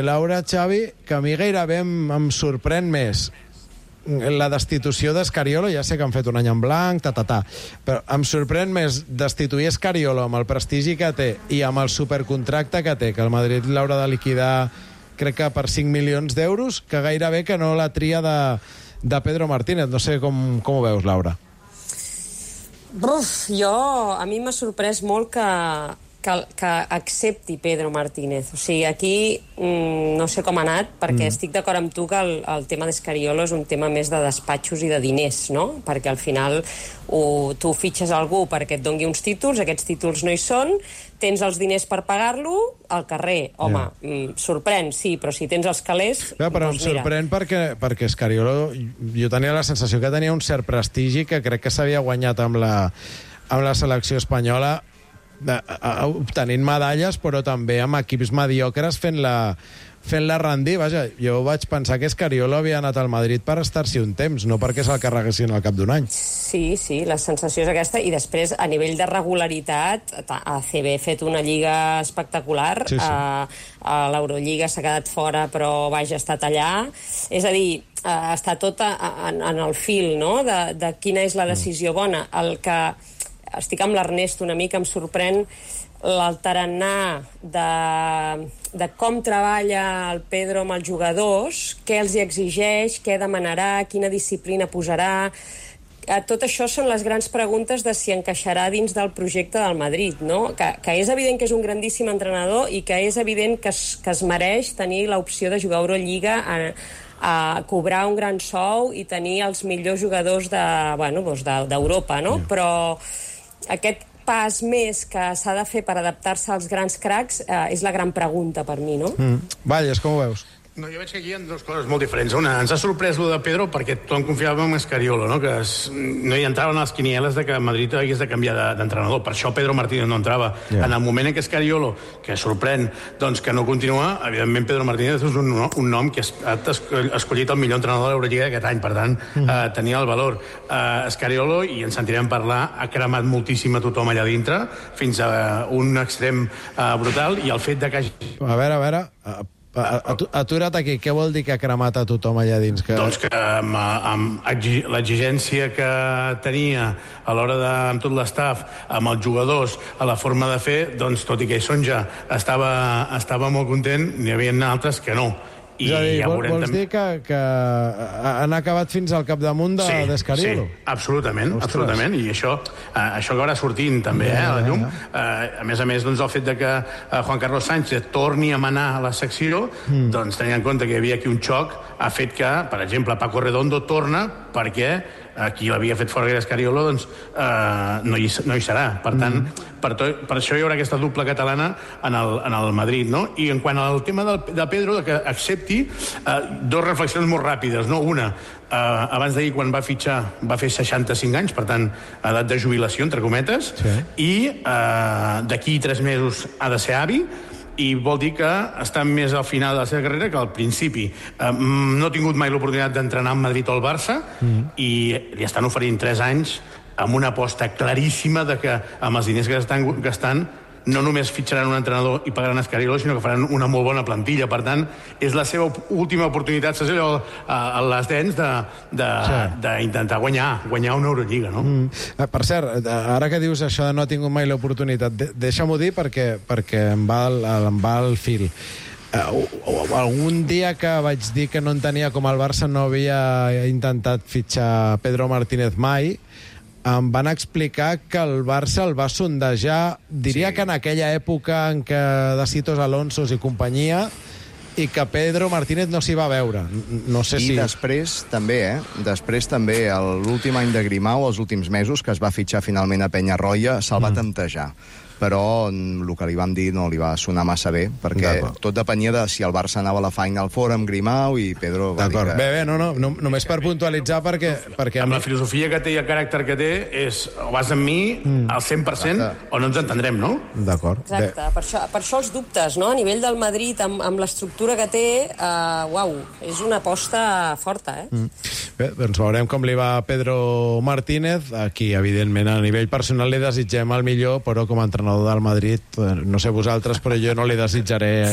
Laura, Xavi, que a mi gairebé em sorprèn més la destitució d'Escariolo, ja sé que han fet un any en blanc, però em sorprèn més destituir Escariolo amb el prestigi que té i amb el supercontracte que té, que el Madrid l'haurà de liquidar, crec que per 5 milions d'euros, que gairebé que no la tria de Pedro Martínez. No sé com ho veus, Laura. A mi m'ha sorprès molt que accepti Pedro Martínez. O sigui, aquí no sé com ha anat, perquè estic d'acord amb tu que el tema d'Escariolo és un tema més de despatxos i de diners, no? Perquè al final tu fitxes algú perquè et dongui uns títols, aquests títols no hi són, tens els diners per pagar-lo al carrer. Home, sorprèn, sí, però si tens els calés... Però em sorprèn perquè Escariolo, jo tenia la sensació que tenia un cert prestigi que crec que s'havia guanyat amb la selecció espanyola, obtenint medalles, però també amb equips mediocres fent-la rendir. Vaja, jo vaig pensar que Escariolo havia anat al Madrid per estar-s'hi un temps, no perquè se'l carreguessin al cap d'un any. Sí, la sensació és aquesta, i després, a nivell de regularitat, ACB ha fet una lliga espectacular, a l'Eurolliga s'ha quedat fora, però vaja, ha estat allà. És a dir, està tot en el fil, no?, de quina és la decisió bona. El que estic amb l'Ernest una mica, em sorprèn el tarannà de com treballa el Pedro amb els jugadors, què els hi exigeix, què demanarà, quina disciplina posarà. Tot això són les grans preguntes de si encaixarà dins del projecte del Madrid, no? Que és evident que és un grandíssim entrenador i que és evident que es mereix tenir l'opció de jugar a Eurolliga, a cobrar un gran sou i tenir els millors jugadors d'Europa, no? Però aquest pas més que s'ha de fer per adaptar-se als grans cracs és la gran pregunta per mi, no? Valles, com ho veus? No, jo veig que aquí hi ha dues coses molt diferents. Una, ens ha sorprès lo de Pedro perquè tothom confiava en Escariolo, no? Que no hi entraven a les quinieles de que Madrid hagués de canviar d'entrenador. Per això Pedro Martínez no entrava. En el moment en què Escariolo, que sorprèn, doncs que no continua, evidentment Pedro Martínez és un nom que ha escollit el millor entrenador de l'Eurolliga d'aquest any, per tant, tenia el valor. Escariolo, i en sentirem parlar, ha cremat moltíssim a tothom allà dintre, fins a un extrem brutal, i el fet de que hagi... A veure... Atura't aquí, què vol dir que ha cremat a tothom allà dins? Doncs que amb l'exigència que tenia a l'hora de, amb tot l'estaf, amb els jugadors, a la forma de fer, doncs tot i que Sonja estava molt content, n'hi havia altres que no. És a dir, vols dir que han acabat fins al capdamunt d'Escariolo? Sí, absolutament, i això acabarà sortint també a la llum. A més, doncs, el fet de que Juan Carlos Sánchez torni a manar a la secció, doncs tenint en compte que hi havia aquí un xoc, ha fet que, per exemple, Paco Redondo torna perquè qui l'havia fet fora Escariolo, doncs no hi serà. Per tant, per això hi haurà aquesta dupla catalana en el Madrid, no? I en quant al tema de Pedro, que accepti, dos reflexions molt ràpides, no? Una, abans d'ahir, quan va fitxar, va fer 65 anys, per tant, edat de jubilació, entre cometes, i d'aquí 3 mesos ha de ser avi, i vol dir que està més al final de la seva carrera que al principi. No ha tingut mai l'oportunitat d'entrenar al Madrid o al Barça, i li estan oferint 3 anys amb una aposta claríssima de que amb els diners que estan gastant no només fitxaran un entrenador i pagaran Escariolo, sinó que faran una molt bona plantilla. Per tant, és la seva última oportunitat, saps allò, a les dents d'intentar guanyar una Eurolliga, no? Per cert, ara que dius això de no ha tingut mai l'oportunitat, deixa-m'ho dir perquè em va el fil. Algun dia que vaig dir que no entenia com el Barça no havia intentat fitxar Pedro Martínez mai, em van explicar que el Barça el va sondejar, diria que en aquella època en què de Sitos Alonsos i companyia, i que Pedro Martínez no s'hi va veure. No sé si... I després també, l'últim any de Grimau, els últims mesos, que es va fitxar finalment a Penyarroia, se'l va temptejar. Però el que li vam dir no li va sonar massa bé, perquè tot depenia de si el Barça anava a la Final Four amb Grimau, i Pedro va dir que... Bé, només per puntualitzar, perquè... Amb la filosofia que té i el caràcter que té, és o vas amb mi al 100% o no ens entendrem, no? D'acord. Exacte, per això els dubtes, no? A nivell del Madrid, amb l'estructura que té, és una aposta forta, Bé, doncs veurem com li va a Pedro Martínez. Aquí, evidentment, a nivell personal li desitgem el millor, però com a entrenador l'entrenador del Madrid, no sé vosaltres, però jo no li desitjaré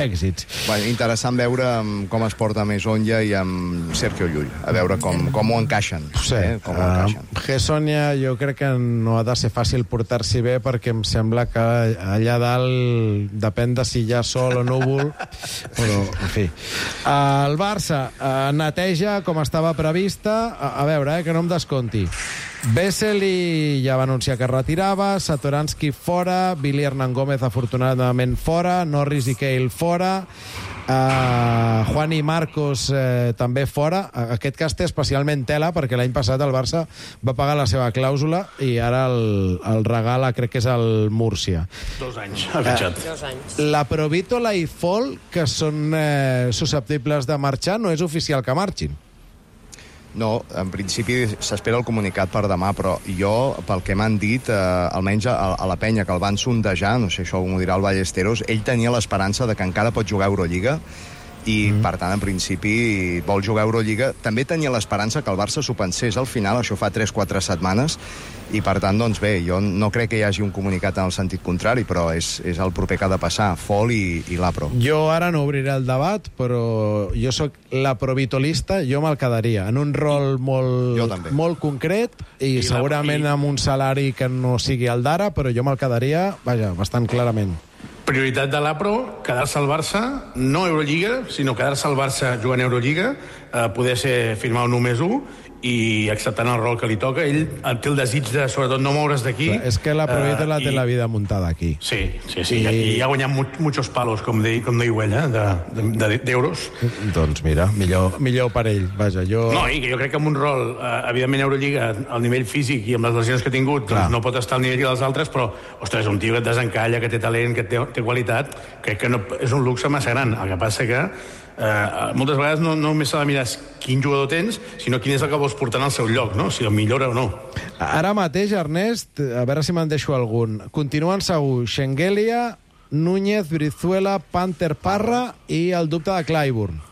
èxits. Bueno, interessant veure com es porta més Onja i amb Sergio Llull, a veure com ho encaixen. Sí, com ho encaixen. Gessonia jo crec que no ha de ser fàcil portar-s'hi bé, perquè em sembla que allà dalt depèn de si hi ha sol o núvol, però, en fi. El Barça neteja com estava prevista, a veure, que no em desconti. Vesely ja va anunciar que es retirava, Satoransky fora, Billy Hernán Gómez afortunadament fora, Norris i Cale fora, Juan i Marcos també fora. Aquest cas té especialment tela perquè l'any passat el Barça va pagar la seva clàusula i ara el regala, crec que és el Múrcia. 2 anys, ha fitxat. 2 anys. La Provítola i Fall, que són susceptibles de marxar, no és oficial que marxin. No, en principi s'espera el comunicat per demà, però jo, pel que m'han dit, almenys a la penya que el van sondejar, no sé, això m'ho dirà el Ballesteros, ell tenia l'esperança de que encara pot jugar a Eurolliga i, per tant, en principi vol jugar a Eurolliga. També tenia l'esperança que el Barça s'ho pensés al final, això fa 3-4 setmanes, i, per tant, doncs bé, jo no crec que hi hagi un comunicat en el sentit contrari, però és el proper que ha de passar, Fall i l'Apro. Jo ara no obriré el debat, però jo sóc la provitolista, jo me'l quedaria, en un rol molt concret i segurament amb un salari que no sigui el d'ara, però jo me'l quedaria, vaja, bastant clarament. Prioritat de l'Apro, quedar-se al Barça, no Eurolliga, sinó quedar-se al Barça jugant a Eurolliga, poder ser firmar un 1+1 i acceptant el rol que li toca. Ell té el desig de, sobretot, no moure's d'aquí. És que la Provítola té la vida muntada aquí. Sí. I ha guanyat muchos palos, com diu ell, d'euros. Doncs mira, millor per ell. Vaja, jo... No, i jo crec que amb un rol, evidentment, Eurolliga, al nivell físic i amb les lesions que ha tingut, doncs no pot estar al nivell dels altres, però, ostres, un tio que et desencalla, que té talent, que té qualitat, crec que no, és un luxe massa gran. El que passa que moltes vegades no només s'ha de mirar quin jugador tens, sinó quin és el que vols portar en el seu lloc, no? Si el millora o no. Ara mateix, Ernest, a veure si me'n deixo algun. Continuen segur Schengelia, Núñez, Brizuela, Panther, Parra i el dubte de Clyburn.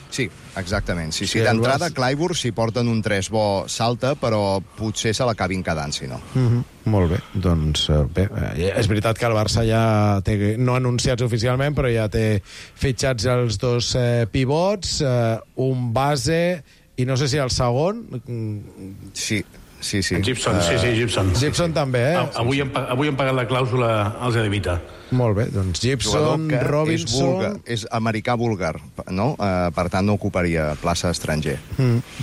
Sí, exactament. Sí, d'entrada, Clyburn, si porten un 3 bo, salta, però potser se l'acabin quedant, si no. Molt bé, doncs bé, és veritat que el Barça ja té, no anunciats oficialment, però ja té fitxats els 2 pivots, un base i no sé si el segon... Sí. Gibson, Gibson. Gibson també, Avui han pagat la clàusula als Edevita. Molt bé, doncs Gibson, Robinson... És americà búlgar, no? Per tant, no ocuparia plaça estranger.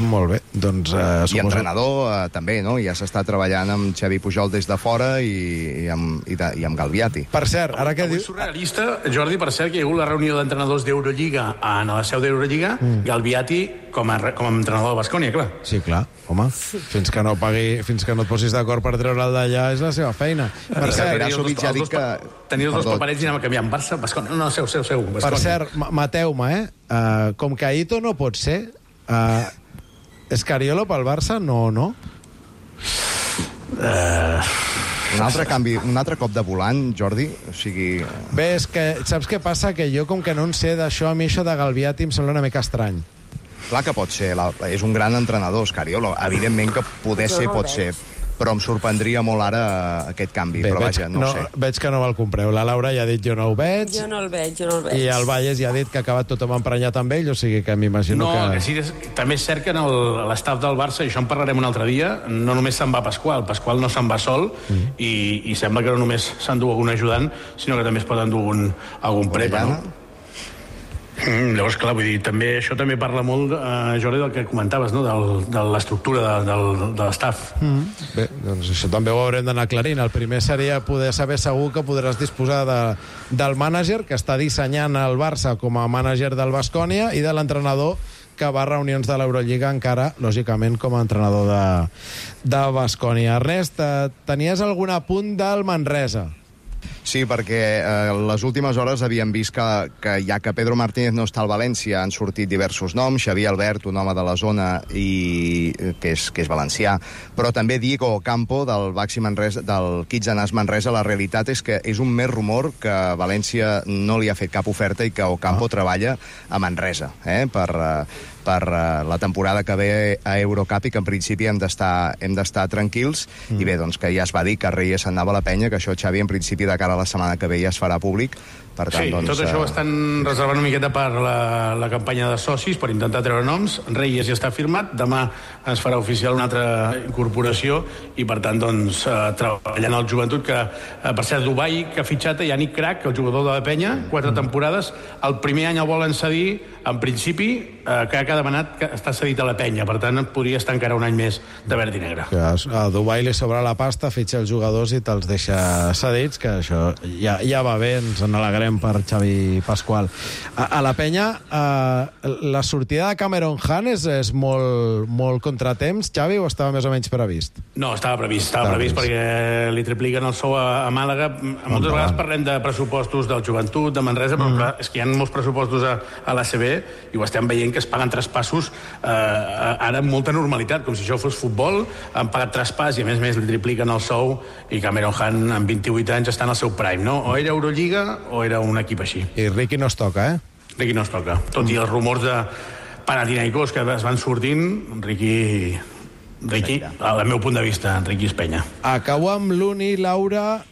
Molt bé, doncs... I entrenador també, no? Ja s'està treballant amb Xavi Pujol des de fora i amb Galviati. Per cert, ara que diu... És surrealista, Jordi, per cert, que hi ha hagut la reunió d'entrenadors d'Eurolliga a la seu d'Eurolliga, Galviati com a entrenador de Baskonia, clar. Sí, clar, home, fins que no et posis d'acord per treure'l d'allà és la seva feina. Per cert, ja dic que... Tenia els 2 paperets i anàvem canviant Barça, Baskonia. No, seu, Baskonia. Per cert, mateu-me, com que Aito no pot ser, Escariolo pel Barça, no? Un altre canvi, un altre cop de volant, Jordi, o sigui... Bé, és que saps què passa? Que jo, com que no en sé d'això, a mi això de Galviati em sembla una mica estrany. Clar que pot ser, és un gran entrenador, Scariolo. Evidentment que poder ser pot ser, però em sorprendria molt ara aquest canvi. Bé, però vaja, no sé. Veig que no me'l compreu. La Laura ja ha dit jo no ho veig. Jo no el veig. I el Valles ja ha dit que ha acabat tothom emprenyat amb ell, o sigui que m'imagino que... No, que sí, també és cert que en l'estaf del Barça, i això en parlarem un altre dia, no només se'n va Pasqual no se'n va sol, i sembla que no només s'endú algun ajudant, sinó que també es pot endur algun prepa, no? Llavors, clar, vull dir, això també parla molt, Jordi, del que comentaves, no? De l'estructura de l'estaf. Bé, doncs això també ho haurem d'anar aclarint. El primer seria poder saber segur que podràs disposar del mànager que està dissenyant el Barça com a mànager del Baskonia i de l'entrenador que va a reunions de l'Eurolliga encara, lògicament, com a entrenador de Baskonia. Ernest, tenies algun apunt del Manresa? Sí, perquè les últimes hores havíem vist que ja que Pedro Martínez no està al València han sortit diversos noms, Xavier Albert, un home de la zona que és valencià, però també Diego Ocampo del Baxi Manresa, del Kitsanàs Manresa. La realitat és que és un més rumor que València no li ha fet cap oferta i que Ocampo treballa a Manresa, per la temporada que ve a Eurocup i que en principi hem d'estar tranquils. I bé, doncs que ja es va dir que Reyes se'n anava a la penya, que això, Xavi, en principi de cara a la setmana que ve ja es farà públic. Per tant, sí, doncs, tot això ho estan reservant una miqueta per la campanya de socis, per intentar treure noms. Reyes ja està firmat, demà es farà oficial una altra incorporació i, per tant, doncs, treballant al Joventut, que, per cert, Dubai, que ha fitxat Yannick Crac, el jugador de la penya, 4 temporades. El primer any el volen cedir, en principi, Crac ha demanat que està cedit a la penya, per tant, podria estar encara un any més de verd i negre. A Dubai li sobra la pasta, fitxa els jugadors i te'ls deixa cedits, que això ja va bé, ens n'alegrem per Xavi Pasqual. A la penya, la sortida de Cameron Hunt és molt contratemps, Xavi, o estava més o menys previst? No, estava previst perquè li tripliquen el sou a Màlaga. Moltes vegades parlem de pressupostos del Joventut, de Manresa, però clar, és que hi ha molts pressupostos a l'ACB i ho estem veient que es paguen traspassos ara amb molta normalitat, com si això fos futbol. Han pagat traspàs i a més li tripliquen el sou i Cameron Hunt amb 28 anys està en el seu prime, no? O era Eurolliga o era un equip així. I Ricky no es toca, Ricky no es toca. Tot i els rumors de Panathinaikos que es van sortint, Ricky, al meu punt de vista, Ricky Espenya. Acabo amb l'Uni, Laura.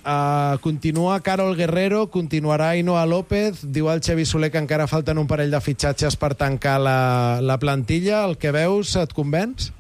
Continua Carol Guerrero, continuarà Ainhoa López. Diu el Xavi Soler que encara falten un parell de fitxatges per tancar la plantilla. El que veus et convenç?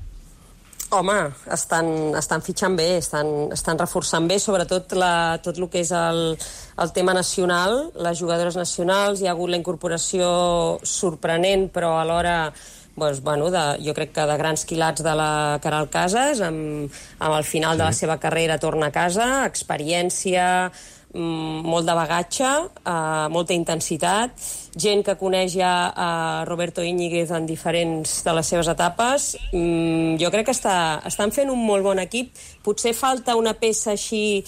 Home, estan fitxant bé, estan reforçant bé, sobretot tot el que és el tema nacional, les jugadores nacionals. Hi ha hagut la incorporació sorprenent, però alhora jo crec que de grans quilats de la Caral Casas, amb el final de la seva carrera torna a casa, experiència, molt de bagatge, molta intensitat, gent que coneix ja a Roberto Íñiguez en diferents de les seves etapes. Jo crec que estan fent un molt bon equip. Potser falta una peça així,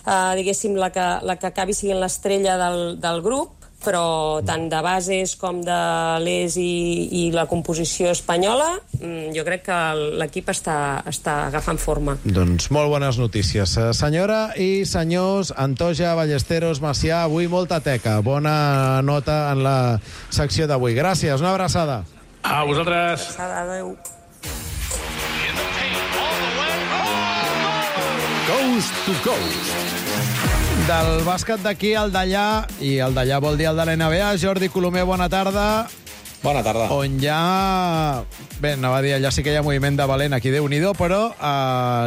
diguéssim, la que acabi sent l'estrella del grup, però tant de bases com de l'ES i la composició espanyola, jo crec que l'equip està agafant forma. Doncs molt bones notícies. Senyora i senyors, Antoja, Ballesteros, Macià, avui molta teca. Bona nota en la secció d'avui. Gràcies, una abraçada. A vosaltres. Adéu. Coast to Coast. Del bàsquet d'aquí al d'allà, i el d'allà vol dir el de l'NBA. Jordi Colomer, bona tarda. Bona tarda. On ja... Bé, anava a dir, allà sí que hi ha moviment de valent aquí, Déu-n'hi-do, però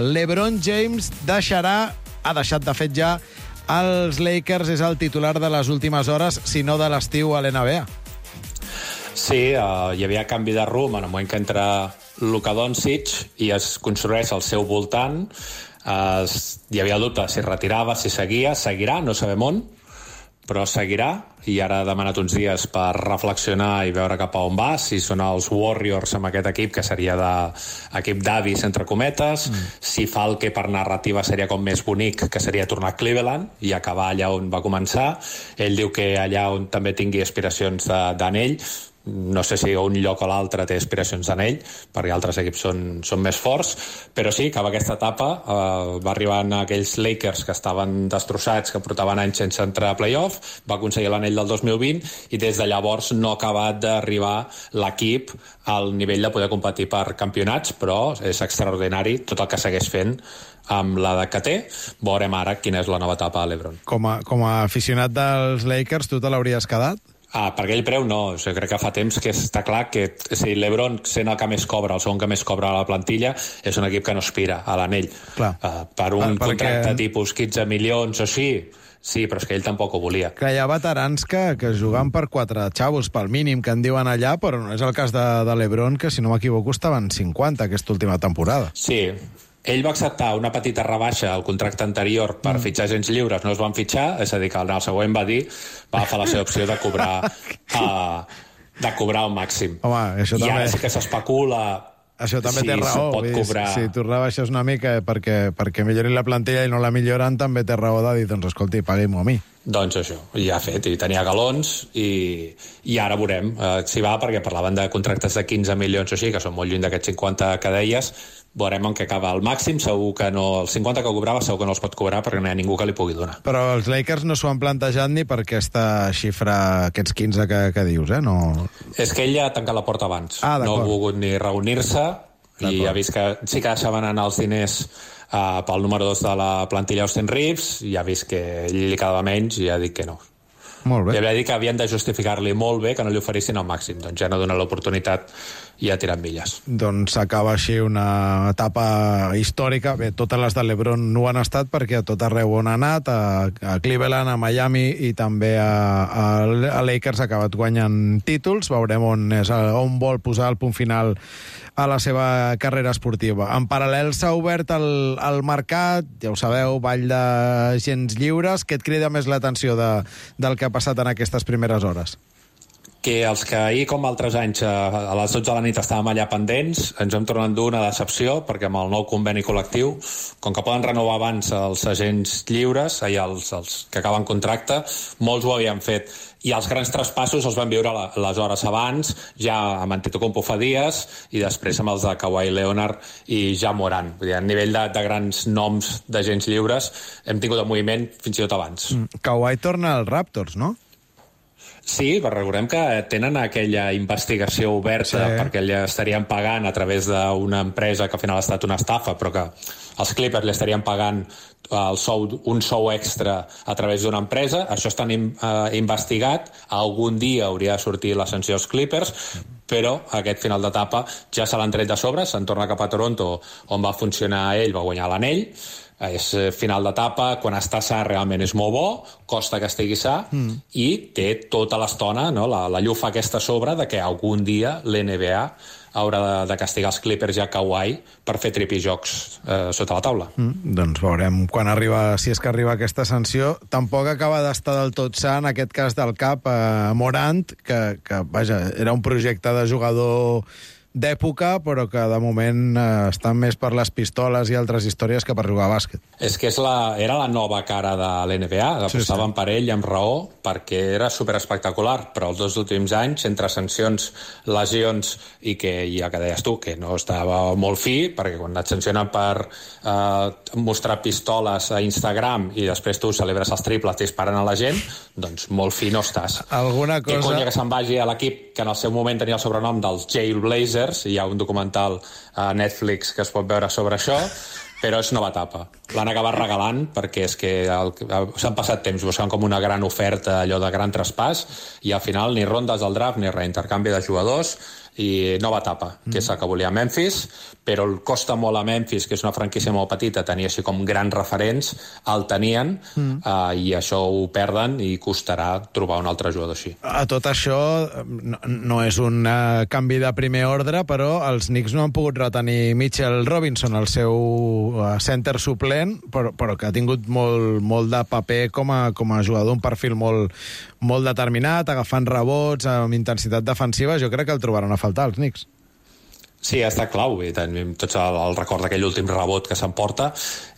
LeBron James ha deixat de fet ja els Lakers, és el titular de les últimes hores, si no de l'estiu a l'NBA. Sí, hi havia canvi de rumb en el moment que entra Luka Doncic i es construeix al seu voltant. Hi havia dubte si retirava, si seguirà, no sabem on, però seguirà, i ara ha demanat uns dies per reflexionar i veure cap a on va, si són els Warriors amb aquest equip, que seria equip d'avis, entre cometes, si fa el que per narrativa seria com més bonic, que seria tornar a Cleveland i acabar allà on va començar. Ell diu que allà on també tingui aspiracions d'anell, no sé si un lloc o l'altre té aspiracions en ell, perquè altres equips són més forts, però sí, acaba aquesta etapa, va arribar a aquells Lakers que estaven destrossats, que portaven anys sense entrar a playoff, va aconseguir l'anell del 2020 i des de llavors no ha acabat d'arribar l'equip al nivell de poder competir per campionats, però és extraordinari tot el que segueix fent amb l'edat que té. Veurem ara quina és la nova etapa a l'Ebron. Com a aficionat dels Lakers, tu te l'hauries quedat? Per aquell preu no, crec que fa temps que està clar que si l'Ebron, sent el que més cobra, el segon que més cobra a la plantilla, és un equip que no aspira a l'anell. Per un contracte tipus 15 milions o així, sí, però és que ell tampoc ho volia. Que hi ha veterans que juguen per 4 xavos, pel mínim que en diuen allà, però no és el cas de l'Ebron, que si no m'equivoco estaven 50 aquesta última temporada. Sí, ell va acceptar una petita rebaixa al contracte anterior per fitxar agents lliures, no es van fitxar, és a dir, que el següent va agafar la seva opció de cobrar el màxim. Home, això també... I ara sí que s'especula... Això també té raó. Si tu rebaixes una mica perquè millori la plantilla i no la milloren, també té raó de dir, doncs escolti, paguem-ho a mi. Doncs això, ja ha fet, i tenia galons, i ara veurem si va, perquè parlaven de contractes de 15 milions o així, que són molt lluny d'aquests 50 que deies, veurem en què acaba. El màxim segur que no, el 50 que cobrava segur que no els pot cobrar perquè no hi ha ningú que li pugui donar. Però els Lakers no s'ho han plantejat ni per aquesta xifra, aquests 15 que dius, No... És que ell ja ha tancat la porta abans. Ah, no ha volgut ni reunir-se i ha vist que sí que deixaven anar els diners pel número 2 de la plantilla Austin Reeves i ha vist que ell li quedava menys i ha dit que no. Molt bé. I havia dit que havien de justificar-li molt bé que no li oferissin el màxim. Doncs ja no dona l'oportunitat i ha tirat milles. Doncs s'acaba així una etapa històrica. Bé, totes les de l'Ebron no han estat perquè a tot arreu on ha anat, a Cleveland, a Miami i també a Lakers ha acabat guanyant títols. Veurem on vol posar el punt final a la seva carrera esportiva. En paral·lel s'ha obert el mercat, ja ho sabeu, ball de gens lliures. Què et crida més l'atenció del que ha passat en aquestes primeres hores? Que els que ahir, com altres anys, a les 12 de la nit estàvem allà pendents, ens hem tornat dur una decepció, perquè amb el nou conveni col·lectiu, com que poden renovar abans els agents lliures, els que acaben contracte, molts ho havien fet. I els grans traspassos els van viure les hores abans, ja amb Antetokounmpo fa dies, i després amb els de Kawhi Leonard i Ja Morant. Vull dir, a nivell de grans noms d'agents lliures, hem tingut el moviment fins i tot abans. Kawhi torna als Raptors, no? Sí, però recordem que tenen aquella investigació oberta perquè li estarien pagant a través d'una empresa que al final ha estat una estafa, però que els Clippers li estarien pagant un sou extra a través d'una empresa. Això està investigat. Algun dia hauria de sortir la sanció als Clippers, però aquest final d'etapa ja se l'han tret de sobre, se'n torna cap a Toronto, on va funcionar ell, va guanyar l'anell. És final d'etapa, quan està sa realment és molt bo, costa que estigui sa, i té tota l'estona, la llufa aquesta a sobre de que algun dia l'NBA haurà de castigar els Clippers i a Kawhi per fer tripijocs sota la taula. Doncs veurem quan arriba, si és que arriba aquesta sanció. Tampoc acaba d'estar del tot sa, en aquest cas del cap, Morant, que vaja, era un projecte de jugador d'època, però que de moment estan més per les pistoles i altres històries que per jugar a bàsquet. És que era la nova cara de l'NBA, apostaven per ell amb raó, perquè era superespectacular, però els 2 últims anys, entre sancions, lesions i que, ja que deies tu, que no estava molt fi, perquè quan et sancionen per mostrar pistoles a Instagram i després tu celebres els triples disparant a la gent, doncs molt fi no estàs. Alguna cosa... Que conya que se'n vagi a l'equip que en el seu moment tenia el sobrenom dels Jailblazers, i hi ha un documental a Netflix que es pot veure sobre això, però és nova etapa. L'han acabat regalant perquè és que s'han passat temps buscant com una gran oferta, allò de gran traspàs, i al final ni rondes del draft ni reintercanvi de jugadors, i nova etapa, que és el que volia Memphis, però costa molt a Memphis, que és una franquícia molt petita, tenir així com grans referents, el tenien, i això ho perden i costarà trobar un altre jugador així. A tot això, no és un canvi de primer ordre, però els Knicks no han pogut retenir Mitchell Robinson, el seu center suplent, però que ha tingut molt de paper com a jugador, un perfil molt determinat, agafant rebots, amb intensitat defensiva. Jo crec que el trobaran a faltar els Knicks. Sí, ha estat clau, i tenim tots el record d'aquell últim rebot que s'emporta,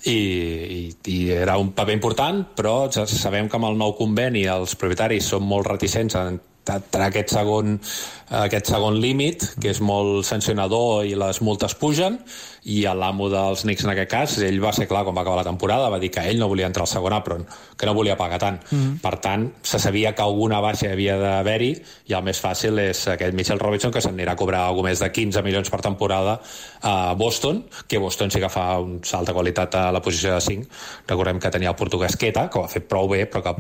i era un paper important, però sabem que amb el nou conveni els propietaris són molt reticents a entrar aquest segon límit, que és molt sancionador i les multes pugen, i l'amo dels Knicks en aquest cas, ell va ser clar quan va acabar la temporada, va dir que ell no volia entrar al segon apron, que no volia pagar tant. Per tant, se sabia que alguna baixa havia d'haver-hi, i el més fàcil és aquest Mitchell Robinson, que s'anirà a cobrar alguna més de 15 milions per temporada a Boston, que Boston sí que fa un salt de qualitat a la posició de 5. Recordem que tenia el portuguès Queta, que ho ha fet prou bé, però que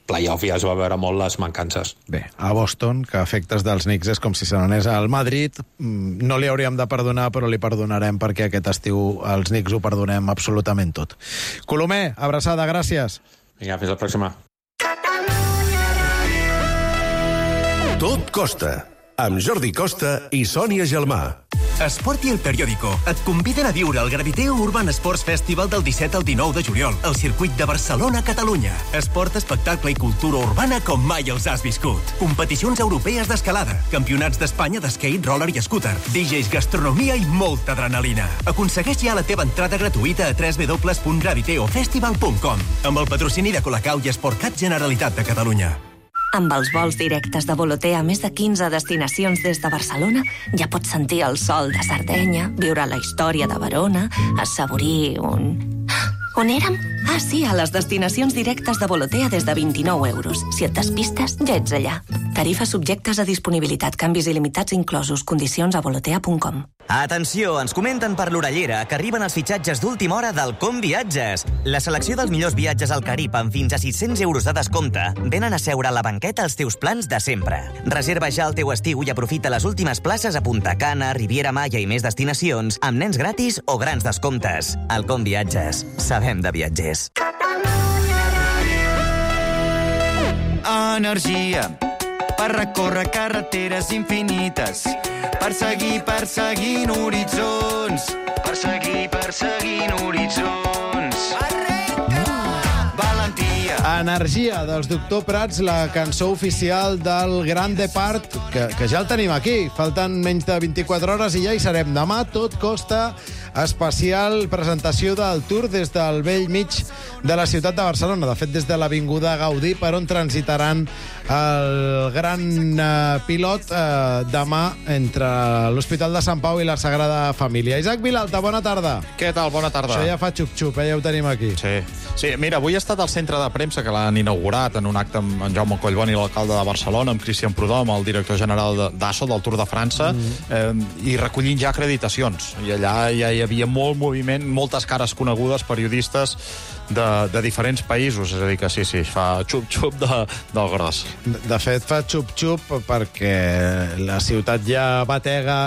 playoff ja es va veure molt les mancances. Bé, a Boston, que a efectes dels Knicks és com si se n'anés al Madrid, no li hauríem de perdonar, però li perdonarem perquè aquest estiu els Knicks ho perdonem absolutament tot. Colomer, abraçada, gràcies. Vinga, fins la pròxima. Tot costa, amb Jordi Costa i Sònia Gelmà. Esport i El Periódico et conviden a viure el Graviteo Urban Sports Festival del 17 al 19 de juliol al circuit de Barcelona, Catalunya. Esport, espectacle i cultura urbana com mai els has viscut. Competicions europees d'escalada, campionats d'Espanya d'skate, roller i scooter, DJs, gastronomia i molta adrenalina. Aconsegueix ja la teva entrada gratuïta a www.graviteofestival.com amb el patrocini de Colacau i Sportcat Generalitat de Catalunya. Amb els vols directes de Volotea a més de 15 destinacions des de Barcelona, ja pots sentir el sol de Sardenya, viure la història de Verona, assaborir un... On érem? Ah, sí, a les destinacions directes de Volotea des de 29 euros. Si et despistes, ja ets allà. Tarifes subjectes a disponibilitat, canvis il·limitats inclosos, condicions a volotea.com. Atenció, ens comenten per l'orellera que arriben els fitxatges d'última hora del Com Viatges. La selecció dels millors viatges al Carib amb fins a 600 euros de descompte venen a seure a la banqueta als teus plans de sempre. Reserva ja el teu estiu i aprofita les últimes places a Punta Cana, Riviera Maya i més destinacions amb nens gratis o grans descomptes. El Com Viatges. Sabem de viatgers. Energia per recórrer carreteres infinites, perseguint horitzons, perseguint horitzons. Valentia. Energia dels Doctor Prats, la cançó oficial del Grand Depart, que ja el tenim aquí. Falten menys de 24 hores i ja hi serem. Demà tot costa especial presentació del Tour des del vell mig de la ciutat de Barcelona. De fet, des de l'Avinguda Gaudí, per on transitaran el gran pilot demà entre l'Hospital de Sant Pau i la Sagrada Família. Isaac Vilalta, bona tarda. Què tal? Bona tarda. Això ja fa xup-xup, ja ho tenim aquí. Sí, mira, avui he estat al centre de premsa que l'han inaugurat en un acte amb en Jaume Collboni, l'alcalde de Barcelona, amb Cristian Prudhomme, el director general d'ASO, del Tour de França, i recollint ja acreditacions. I allà ja hi havia molt moviment, moltes cares conegudes, periodistes de diferents països. És a dir, que sí, fa xup-xup del gros. De fet, fa xup-xup perquè la ciutat ja batega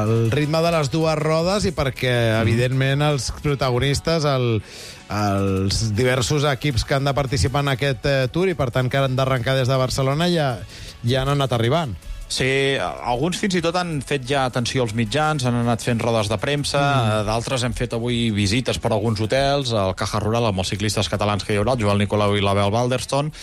el ritme de les dues rodes i perquè, evidentment, els protagonistes, els diversos equips que han de participar en aquest Tour i, per tant, que han d'arrencar des de Barcelona ja han anat arribant. Sí, alguns fins i tot han fet ja atenció als mitjans, han anat fent rodes de premsa, d'altres hem fet avui visites per alguns hotels, al Caja Rural amb els ciclistes catalans que hi haurà, el Joel Nicolau i l'Abel Balderston,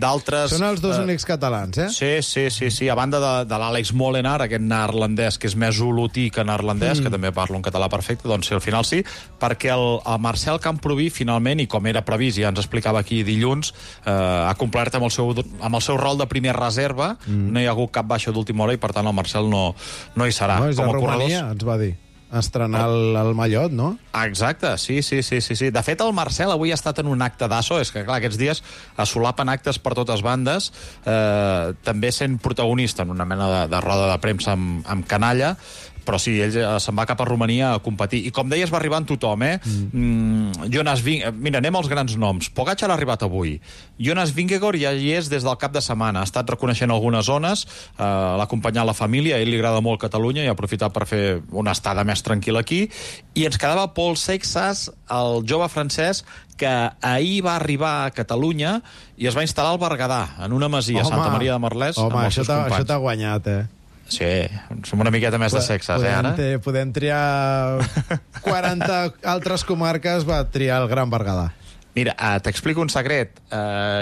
d'altres... Són els dos únics catalans, eh? Sí, a banda de l'Àlex Molenaar, aquest neerlandès que és més olotí que neerlandès, que també parla un català perfecte, doncs sí, al final sí, perquè el Marcel Camproví, finalment, i com era previst, ja ens explicava aquí dilluns, ha complert amb el seu rol de primer reserva, no hi ha hagut cap baixa d'última hora i, per tant, el Marcel no hi serà. No, és de Romania, ens va dir. Estrenar el mallot, no? Exacte, sí. De fet, el Marcel avui ha estat en un acte d'ASO, és que, clar, aquests dies assolapen actes per totes bandes, també sent protagonista en una mena de roda de premsa amb canalla, però sí, ell se'n va cap a Romania a competir. I com deies, va arribant tothom, Jonas Vingegaard... Mira, anem als grans noms. Pogacar ha arribat avui. Jonas Vingegaard ja hi és des del cap de setmana. Ha estat reconeixent algunes zones, l'ha acompanyat la família, a ell li agrada molt Catalunya i ha aprofitat per fer una estada més tranquil·la aquí. I ens quedava Paul Seixas, el jove francès, que ahir va arribar a Catalunya i es va instal·lar al Berguedà, en una masia, Santa Maria de Merlès, amb els seus companys. Això t'ha guanyat, Sí, som una miqueta més de sexes, ara? Podem triar 40 altres comarques, va triar el Gran Berguedà. Mira, t'explico un secret.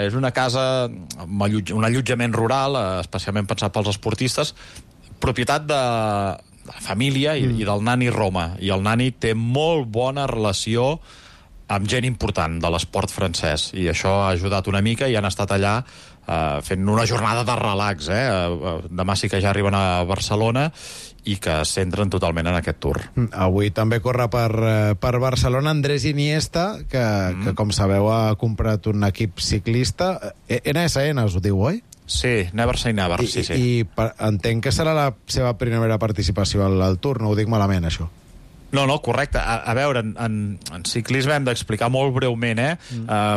És una casa, un allotjament rural, especialment pensat pels esportistes, propietat de la família i del nani Roma. I el nani té molt bona relació amb gent important de l'esport francès. I això ha ajudat una mica i han estat allà fent una jornada de relax. Demà sí que ja arriben a Barcelona i que es centren totalment en aquest Tour. Avui també corre per Barcelona Andrés Iniesta, que com sabeu ha comprat un equip ciclista. NSN us ho diu, oi? Sí, Never Say Never, sí. I entenc que serà la seva primera participació al Tour, no ho dic malament, això. No, correcte. A veure, en ciclisme hem d'explicar molt breument,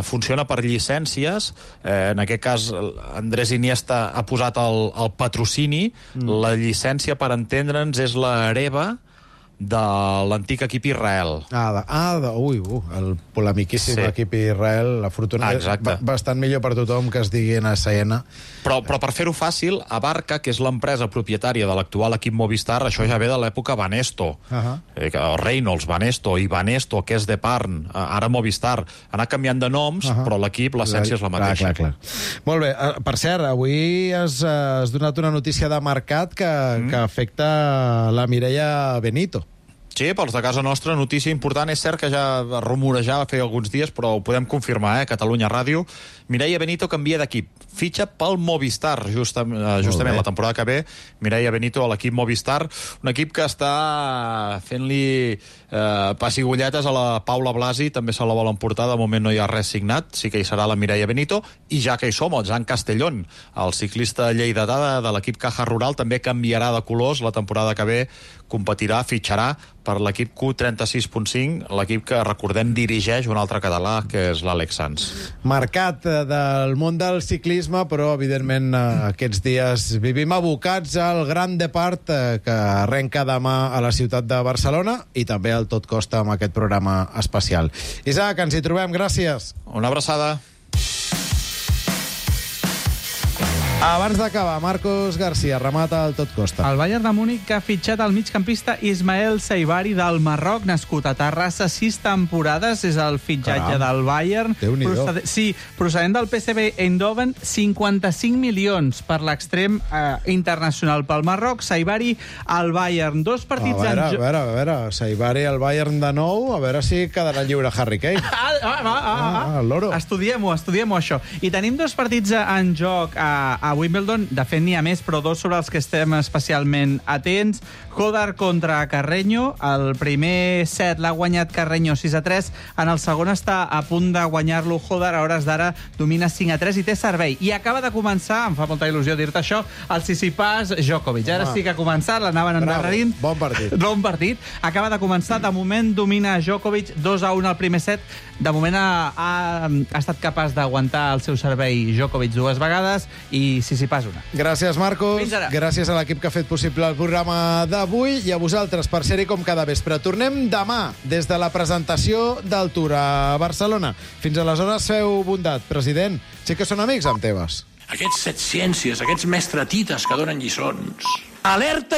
funciona per llicències. En aquest cas, Andrés Iniesta ha posat el patrocini. La llicència, per entendre'ns, és la hereva de l'antic equip Israel. El polemiquíssim equip Israel, afortunadament, bastant millor per tothom que es digui NSN. Però per fer-ho fàcil, Abarca, que és l'empresa propietària de l'actual equip Movistar, això ja ve de l'època Banesto. Reynolds, Banesto i Banesto, que és de Parn, ara Movistar. Ha anat canviant de noms, però l'equip, l'essència és la mateixa. Clar. Molt bé, per cert, avui has donat una notícia de mercat que afecta la Mireia Benito. Sí, pels de casa nostra, notícia important. És cert que ja rumorejava feia alguns dies, però ho podem confirmar, Catalunya Ràdio. Mireia Benito canvia d'equip. Fitxa pel Movistar, justament la temporada que ve. Mireia Benito a l'equip Movistar, un equip que està fent-li pessigolletes a la Paula Blasi, també se la volen portar, de moment no hi ha res signat, sí que hi serà la Mireia Benito, i ja que hi som, el Jan Castellón, el ciclista lleidatà de l'equip Caja Rural, també canviarà de colors la temporada que ve, competirà, fitxarà per l'equip Q36.5, l'equip que, recordem, dirigeix un altre català, que és l'Àlex Sanz. Mercat del món del ciclisme, però, evidentment, aquests dies vivim abocats al Gran Depart, que arrenca demà a la ciutat de Barcelona, i també al Tot Costa amb aquest programa especial. Isaac, ens hi trobem, gràcies. Una abraçada. Abans d'acabar, Marcos García remata el Tot Costa. El Bayern de Múnich que ha fitxat el migcampista Ismael Saibari del Marroc, nascut a Terrassa, 6 temporades, és el fitxatge del Bayern. Procedent del PSV Eindhoven, 55 milions per l'extrem internacional pel Marroc. Saibari al Bayern, 2 partits en joc. A veure, Saibari al Bayern de nou, a veure si quedarà lliure Harry Kane. El loro. Estudiem-ho, això. I tenim 2 partits en joc a Wimbledon, de fet n'hi ha més, però 2 sobre els que estem especialment atents. Hodar contra Carreño, el primer set l'ha guanyat Carreño 6-3, en el segon està a punt de guanyar-lo Hodar, a hores d'ara domina 5-3 i té servei. I acaba de començar, em fa molta il·lusió dir-te això, el Tsitsipas Djokovic. Ara sí que ha començat, l'anaven endarrerint. Bon partit. Bon partit. Acaba de començar, de moment domina Djokovic 2-1 al primer set. De moment ha estat capaç d'aguantar el seu servei Djokovic 2 vegades i Tsitsipas una. Gràcies, Marcos. Gràcies a l'equip que ha fet possible el programa d'avui i a vosaltres per ser-hi com cada vespre. Tornem demà des de la presentació del Tour a Barcelona. Fins aleshores, feu bondat. President, sí que són amics amb Tebas. Aquests setciències, aquests mestratites que donen lliçons. Alerta